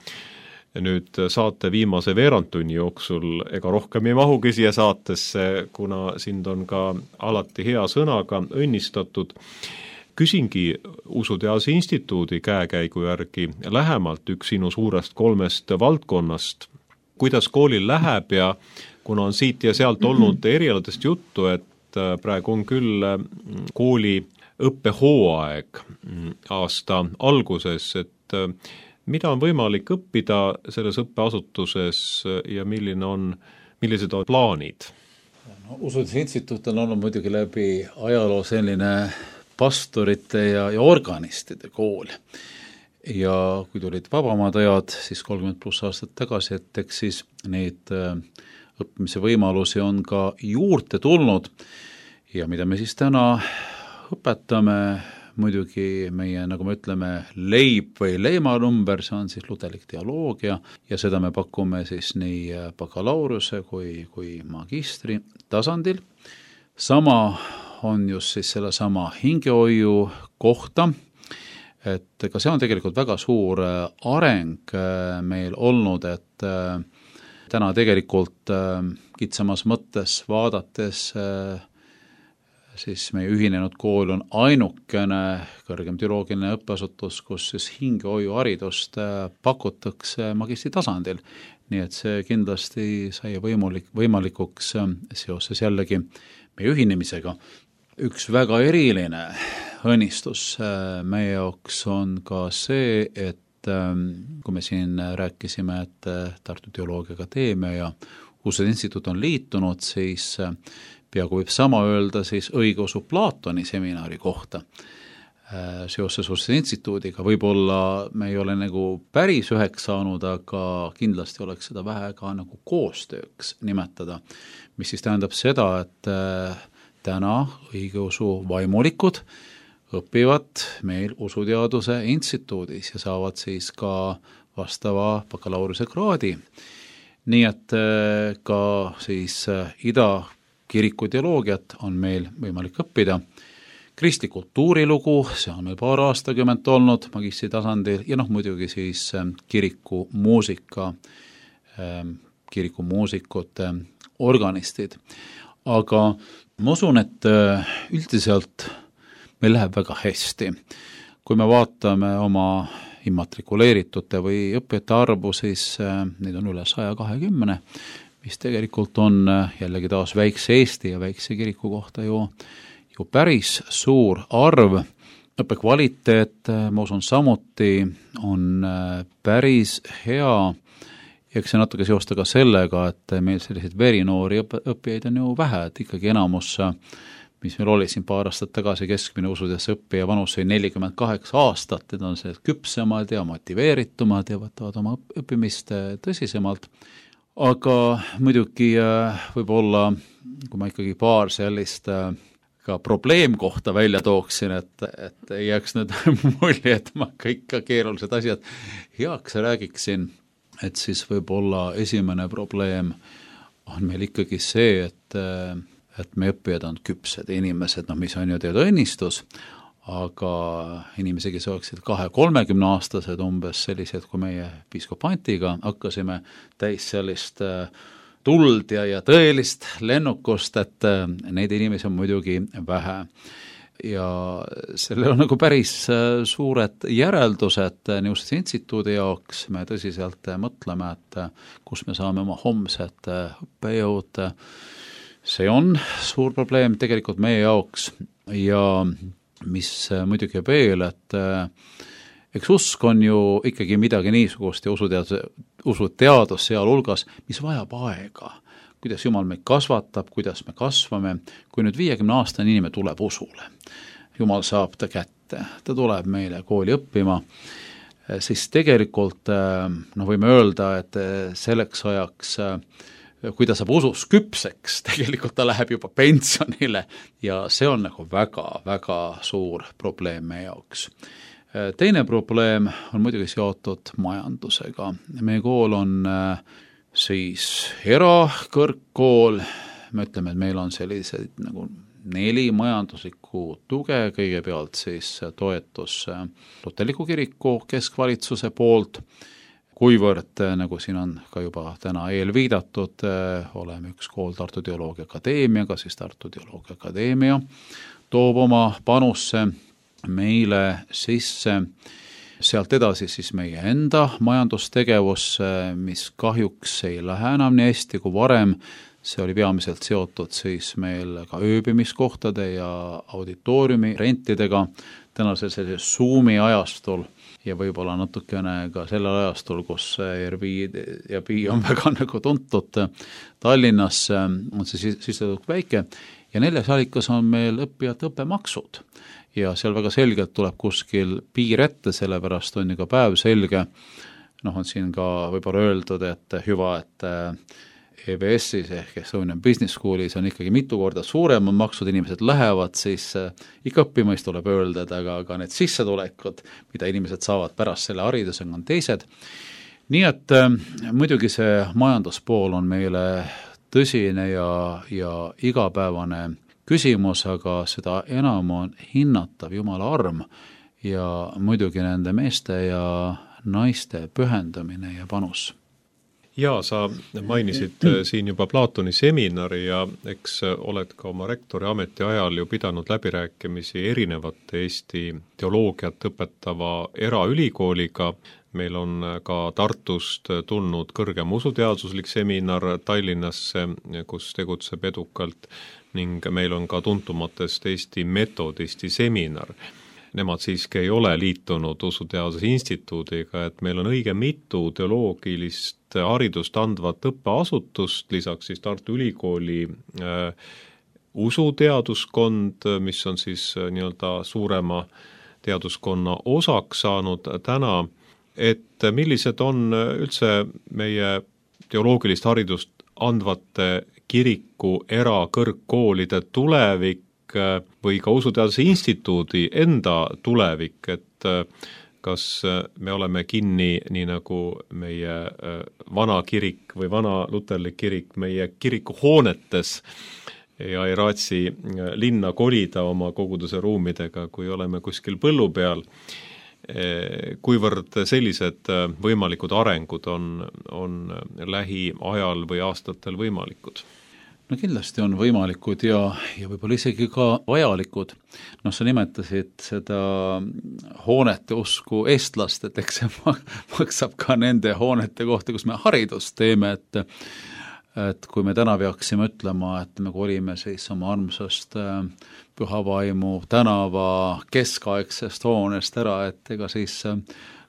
Nüüd saate viimase veerandtunni jooksul ega rohkem ei mahugi siia saatesse, kuna sind on ka alati hea sõnaga õnnistatud. Küsingi Usuteaduse instituudi käekäigu järgi lähemalt üks sinu suurest kolmest valdkonnast. Kuidas koolil läheb ja kuna on siit ja sealt olnud erialadest juttu, et praegu on küll kooli õppehooaeg aasta alguses, et mida on võimalik õppida selles õppeasutuses ja milline on, millised on plaanid? No, Usuteaduse instituut on olnud muidugi läbi ajaloo selline pastorite ja, ja organistide kool. Ja kui tulid vabamad ajad, siis kolmkümmend pluss aastat tagasi, et eks siis neid õppimise võimalusi on ka juurde tulnud ja mida me siis täna õpetame, muidugi meie, nagu me ütleme, leib või leimanumber, see on siis luterlik teoloogia ja seda me pakume siis nii bakalaureuse kui, kui magistri tasandil. Sama on just siis selle sama hingehoiu kohta, et ka see on tegelikult väga suur areng meil olnud, et täna tegelikult kitsamas mõttes vaadates siis meie ühinenud kool on ainukene kõrgem teoloogiline õppeasutus, kus siis hingehoiuharidust pakutakse magistri tasandil. Nii et see kindlasti sai võimalik, võimalikuks seoses jällegi meie ühinemisega. Üks väga eriline õnnistus meie jaoks on ka see, et kui me siin rääkisime, et Tartu Teoloogia Akadeemia ja Usuteaduse instituut on liitunud, siis peaaegu võib sama öelda siis õigeusu Platoni seminari kohta seoses Usuteaduse instituudiga. Võib-olla me ei ole nagu päris üheks saanud, aga kindlasti oleks seda vähe ka nagu koostööks nimetada, mis siis tähendab seda, et täna õigeusu vaimulikud õpivad meil Usuteaduse instituudis ja saavad siis ka vastava bakalaureuse kraadi. Nii et ka siis ida kiriku teoloogiat on meil võimalik õppida. Kristlik kultuurilugu, see on meil paar aastakümmet olnud magistri tasandil ja noh, muidugi siis kiriku muusika, kiriku muusikute organistid. Aga ma usun, et üldiselt meil läheb väga hästi. Kui me vaatame oma immatrikuleeritute või õppijate arvu, siis neid on üle saja kahekümne, mis tegelikult on jällegi taas väikse Eesti ja väikse kiriku kohta ju, ju päris suur arv. Õppekvaliteet, ma usun samuti, on päris hea. Eks see natuke seosta ka sellega, et meil selliseid verinoori õppijaid on ju vähe, et ikkagi enamus mis meil oli siin paar aastat tagasi, keskmine usuteaduse õppija vanus oli nelikümmend kaheksa aastat, need on see küpsemad ja motiveeritumad ja võtavad oma õppimist tõsisemalt. Aga muidugi võib-olla, kui ma ikkagi paar sellist ka probleemkohta välja tooksin, et, et ei jääks nüüd mulje, et ma kõik ka keerulised asjad heaks räägiksin, et siis võib-olla esimene probleem on meil ikkagi see, et, et me õppijad on küpsed inimesed, no mis on ju teada õnnistus, aga inimesi, kes oleksid kahe-kolmekümne aastased umbes sellised, kui meie piiskop Antiga hakkasime täis sellist tuld ja, ja tõelist lennukust, et neid inimesi on muidugi vähe. Ja sellel on nagu päris suured järeldused niisuguse instituudi jaoks, me tõsiselt mõtleme, et kus me saame oma homsed õppejõud. See on suur probleem tegelikult meie jaoks ja mis muidugi veel, et eks usk on ju ikkagi midagi niisugust ja usuteadus, usuteadus sealhulgas, mis vajab aega, kuidas Jumal meid kasvatab, kuidas me kasvame, kui nüüd viiekümne aastane inimene tuleb usule. Jumal saab ta kätte, ta tuleb meile kooli õppima, siis tegelikult no võime öelda, et selleks ajaks, kui ta saab usus küpseks, tegelikult ta läheb juba pensionile ja see on nagu väga-väga suur probleem meie jaoks. Teine probleem on muidugi seotud majandusega. Meie kool on siis erakõrgkool, me ütleme, et meil on sellised nagu neli majanduslikku tuge, kõigepealt siis toetus Luterliku kiriku keskvalitsuse poolt, kuivõrd, nagu siin on ka juba täna eel viidatud, oleme üks kool Tartu Teoloogia Akadeemiaga, siis Tartu Teoloogia Akadeemia toob oma panusse meile sisse, sealt edasi siis meie enda majandustegevus, mis kahjuks ei lähe enam nii hästi kui varem, see oli peamiselt seotud siis meil ka ööbimiskohtade ja auditooriumi rentidega, tänasel sellisel Zoomi ajastul ja võib-olla natukene ka sellel ajastul, kus Airbnb on väga nagu tuntud Tallinnas, on see sissetulek väike ja neljas allikas on meil õppijate õppemaksud. Ja seal väga selgelt tuleb kuskil piir ette, sellepärast on ju ka päev selge. Noh, on siin ka võib-olla öeldud, et hüva, et E B S-is ehk Estonian Business Schoolis on ikkagi mitu korda suuremad maksud, inimesed lähevad, siis ikka õppimist tuleb öelda, aga, aga need sissetulekud, mida inimesed saavad pärast selle haridusega, on teised. Nii et muidugi see majanduspool on meile tõsine ja, ja igapäevane küsimus, aga seda enam on hinnatav Jumala arm ja muidugi nende meeste ja naiste pühendamine ja panus. Jaa, sa mainisid siin juba Platoni seminari ja eks oled ka oma rektori ameti ajal ju pidanud läbirääkimisi erinevate Eesti teoloogiat õpetava eraülikooliga. Meil on ka Tartust tulnud kõrgem usuteaduslik seminar Tallinnasse, kus tegutseb edukalt ning meil on ka tuntumatest Eesti metodisti seminar. Nemad siiski ei ole liitunud usuteaduse instituudiga, et meil on õige mitu teoloogilist haridust andvat õppeasutust, lisaks siis Tartu Ülikooli äh, usuteaduskond, mis on siis äh, nii-öelda suurema teaduskonna osaks saanud täna, et millised on üldse meie teoloogilist haridust andvate kiriku erakõrgkoolide tulevik või ka usuteaduse instituudi enda tulevik, et kas me oleme kinni, nii nagu meie vana kirik või vana luterlik kirik meie kirikuhoonetes ja ei raatsi linna kolida oma koguduse ruumidega, kui oleme kuskil põllu peal, kuivõrd sellised võimalikud arengud on, on lähiajal või aastatel võimalikud? No kindlasti on võimalikud ja, ja võib-olla isegi ka vajalikud. No sa nimetasid seda hoonete usku eestlast, et eks see maksab ka nende hoonete kohta, kus me haridust teeme, et, et kui me täna peaksime ütlema, et me kolime siis oma armsast Pühavaimu tänava keskaegsest hoonest ära, et ega siis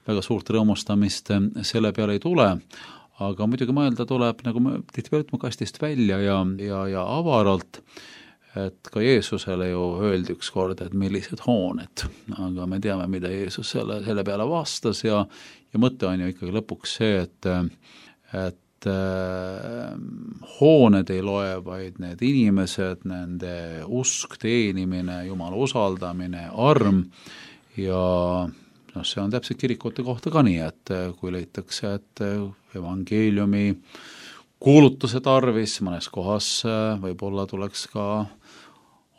väga suurt rõõmustamist selle peale ei tule, aga muidugi mõelda tuleb, nagu me tihtipeale ütleme, kastist välja ja, ja, ja avaralt. et ka Jeesusele ju öeldi üks kord, et millised hooned, aga me teame, mida Jeesus selle, selle peale vastas ja, ja mõte on ju ikkagi lõpuks see, et, et äh, hooned ei loe, vaid need inimesed, nende usk, teenimine, Jumala usaldamine, arm ja noh, see on täpselt kirikute kohta ka nii, et kui leitakse, et evangeeliumi kuulutuse tarvis mõnes kohas võib-olla tuleks ka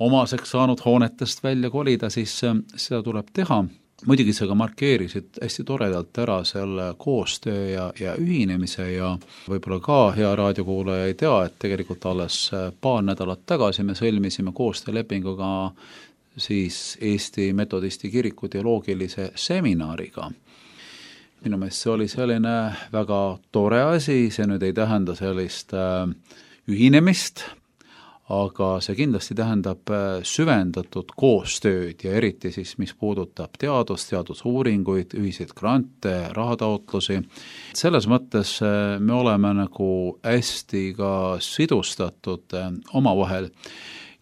omaseks saanud hoonetest välja kolida, siis seda tuleb teha. Muidugi sa ka markeerisid hästi toredalt ära selle koostöö ja, ja ühinemise ja võib-olla ka hea raadiokuulaja ei tea, et tegelikult alles paar nädalat tagasi me sõlmisime koostöölepinguga siis Eesti Metodisti kiriku teoloogilise seminariga. Minu meelest see oli selline väga tore asi, see nüüd ei tähenda sellist äh, ühinemist, aga see kindlasti tähendab äh, süvendatud koostööd ja eriti siis, mis puudutab teadust, teadusuuringuid, ühiseid grante, rahataotlusi. Selles mõttes äh, me oleme nagu hästi ka sidustatud äh, omavahel.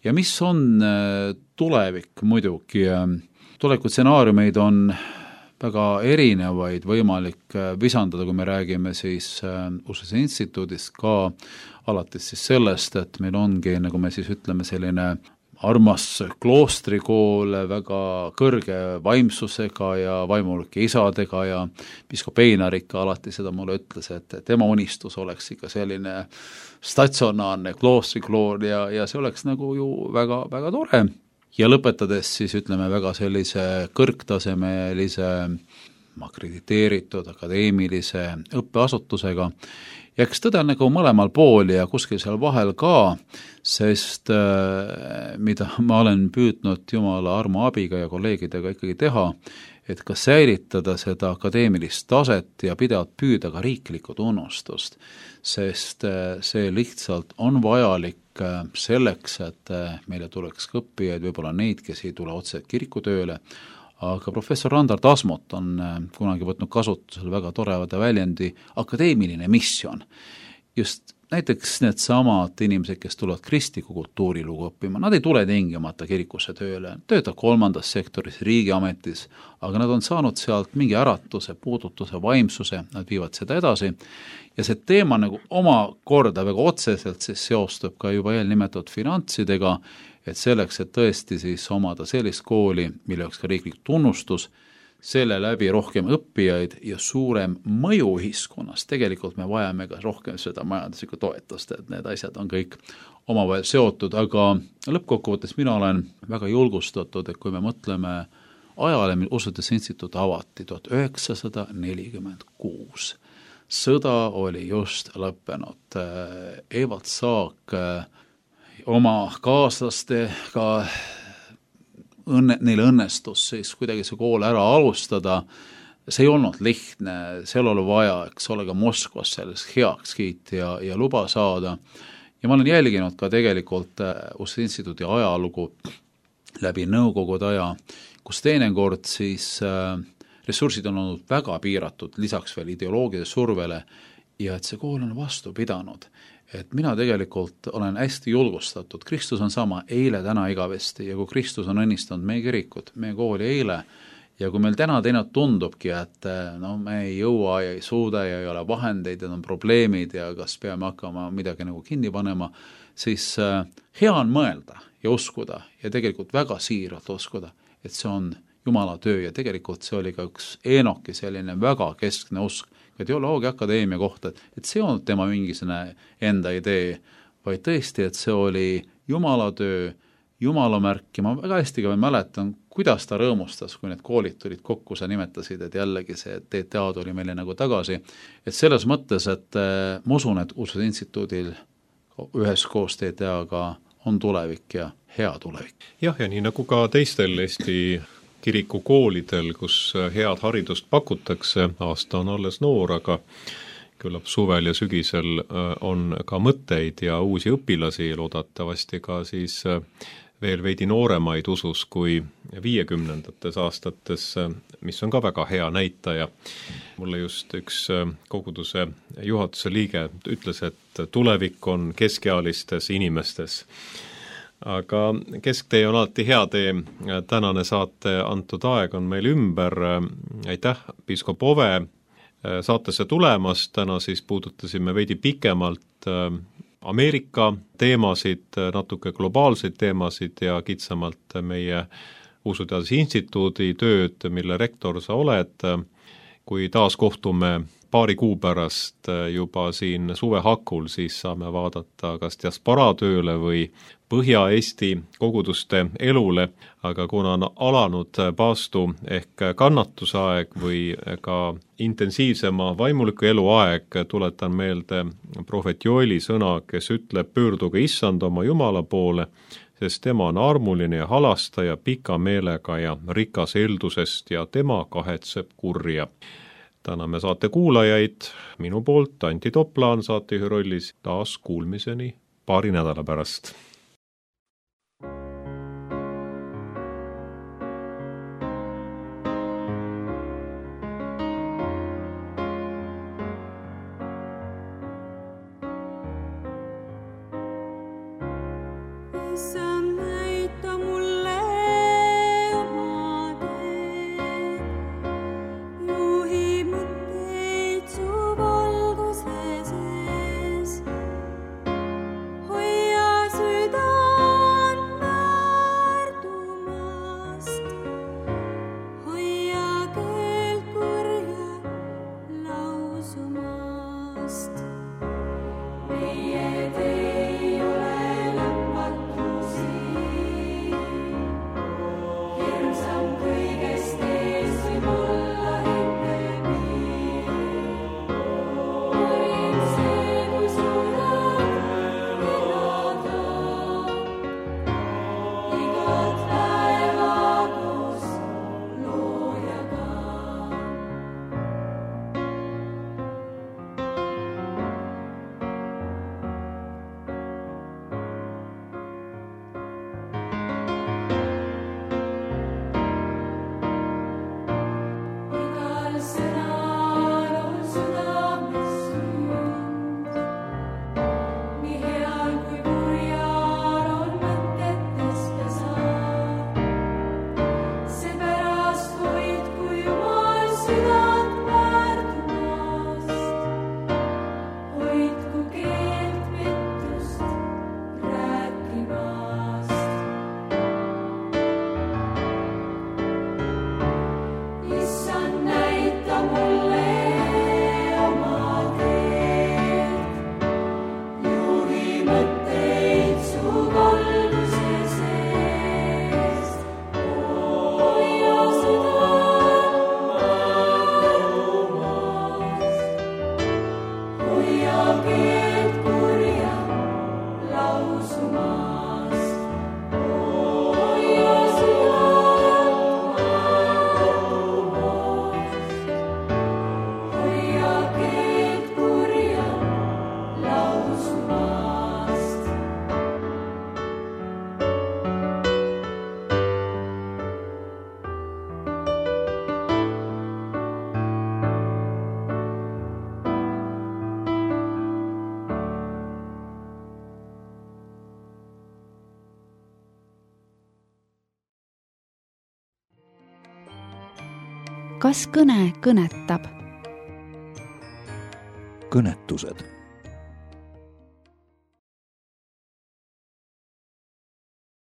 Ja mis on äh, tulevik muidugi? Äh, tuleviku stsenaariumeid on väga erinevaid võimalik visandada, kui me räägime siis Ussuse instituudist ka alates siis sellest, et meil ongi, nagu me siis ütleme, selline armas kloostrikool väga kõrge vaimsusega ja vaimulike isadega ja piiskop Einar ikka alati seda mulle ütles, et tema unistus oleks ikka selline statsionaarne kloostrikool ja, ja see oleks nagu ju väga, väga tore. Ja lõpetades siis ütleme väga sellise kõrgtasemelise akrediteeritud akadeemilise õppeasutusega ja eks tõde nagu mõlemal pool ja kuskil seal vahel ka, sest äh, mida ma olen püüdnud Jumala armu abiga ja kolleegidega ikkagi teha, et ka säilitada seda akadeemilist taset ja pidevalt püüda ka riiklikku tunnustust, sest äh, see lihtsalt on vajalik selleks, et meile tuleks ka õppijaid, võib-olla neid, kes ei tule otse kirikutööle, aga professor Randar Tasmot on kunagi võtnud kasutusele väga torevade väljendi akadeemiline missioon. Just näiteks need samad inimesed, kes tulevad kristliku kultuurilugu õppima, nad ei tule tingimata kirikusse tööle, töötab kolmandas sektoris, riigiametis, aga nad on saanud sealt mingi äratuse, puudutuse, vaimsuse, nad viivad seda edasi ja see teema nagu oma korda väga otseselt siis seostub ka juba eelnimetatud finantsidega, et selleks, et tõesti siis omada sellist kooli, mille oleks ka riiklik tunnustus, selle läbi rohkem õppijaid ja suurem mõju ühiskonnas. Tegelikult me vajame ka rohkem seda majanduslikku toetust, et need asjad on kõik omavahel seotud, aga lõppkokkuvõttes mina olen väga julgustatud, et kui me mõtleme ajale, mil Ussute instituut avati tuhat üheksasada nelikümmend kuus. Sõda oli just lõppenud. Evald Saak oma kaaslastega õnne, neil õnnestus siis kuidagi see kool ära alustada, see ei olnud lihtne, seal oli vaja, eks ole, ka Moskvas sellest heaks kiiti ja, ja luba saada. Ja ma olen jälginud ka tegelikult Ussute instituudi ajalugu läbi nõukogude aja, kus teinekord siis äh, ressursid on olnud väga piiratud, lisaks veel ideoloogide survele ja et see kool on vastu pidanud. Et mina tegelikult olen hästi julgustatud, Kristus on sama eile, täna, igavesti ja kui Kristus on õnnistanud meie kirikut, meie kooli eile ja kui meil täna teine tundubki, et no, me ei jõua ja ei suuda ja ei ole vahendeid ja on probleemid ja kas peame hakkama midagi nagu kinni panema, siis hea on mõelda ja uskuda ja tegelikult väga siiralt uskuda, et see on Jumala töö ja tegelikult see oli ka üks Eenoki selline väga keskne usk, ka teoloogia akadeemia kohta, et see on tema mingisugune enda idee, vaid tõesti, et see oli Jumala töö, Jumala märk ja ma väga hästi ka mäletan, kuidas ta rõõmustas, kui need koolid tulid kokku, sa nimetasid, et jällegi see T T A tuli meile nagu tagasi, et selles mõttes, et ma usun, et Ussuse instituudil üheskoos T T A-ga on tulevik ja hea tulevik. Jah, ja nii nagu ka teistel Eesti kirikukoolidel, kus head haridust pakutakse, aasta on alles noor, aga küllap suvel ja sügisel on ka mõtteid ja uusi õpilasi, loodatavasti ka siis veel veidi nooremaid usus kui viiekümnendates aastates, mis on ka väga hea näitaja. Mulle just üks koguduse juhatuse liige ütles, et tulevik on keskealistes inimestes. aga kesktee on alati hea tee, tänane saate antud aeg on meil ümber, aitäh, piiskop Ove, saatesse tulemast, täna siis puudutasime veidi pikemalt Ameerika teemasid, natuke globaalseid teemasid ja kitsamalt meie Usuteaduse Instituudi tööd, mille rektor sa oled. Kui taas kohtume paari kuu pärast juba siin suve hakul, siis saame vaadata kas diasporaatööle või Põhja-Eesti koguduste elule, aga kuna on alanud paastu ehk kannatusaeg või ka intensiivsema vaimuliku elu aeg, tuletan meelde prohvet Joeli sõna, kes ütleb, pöörduge issand oma Jumala poole, sest tema on armuline ja halastaja, pika meelega ja rikas eeldusest ja tema kahetseb kurja. Täname saate kuulajaid, minu poolt Anti Toplaan saatejuhi rollis, taas kuulmiseni paari nädala pärast. Kas kõne kõnetab? Kõnetused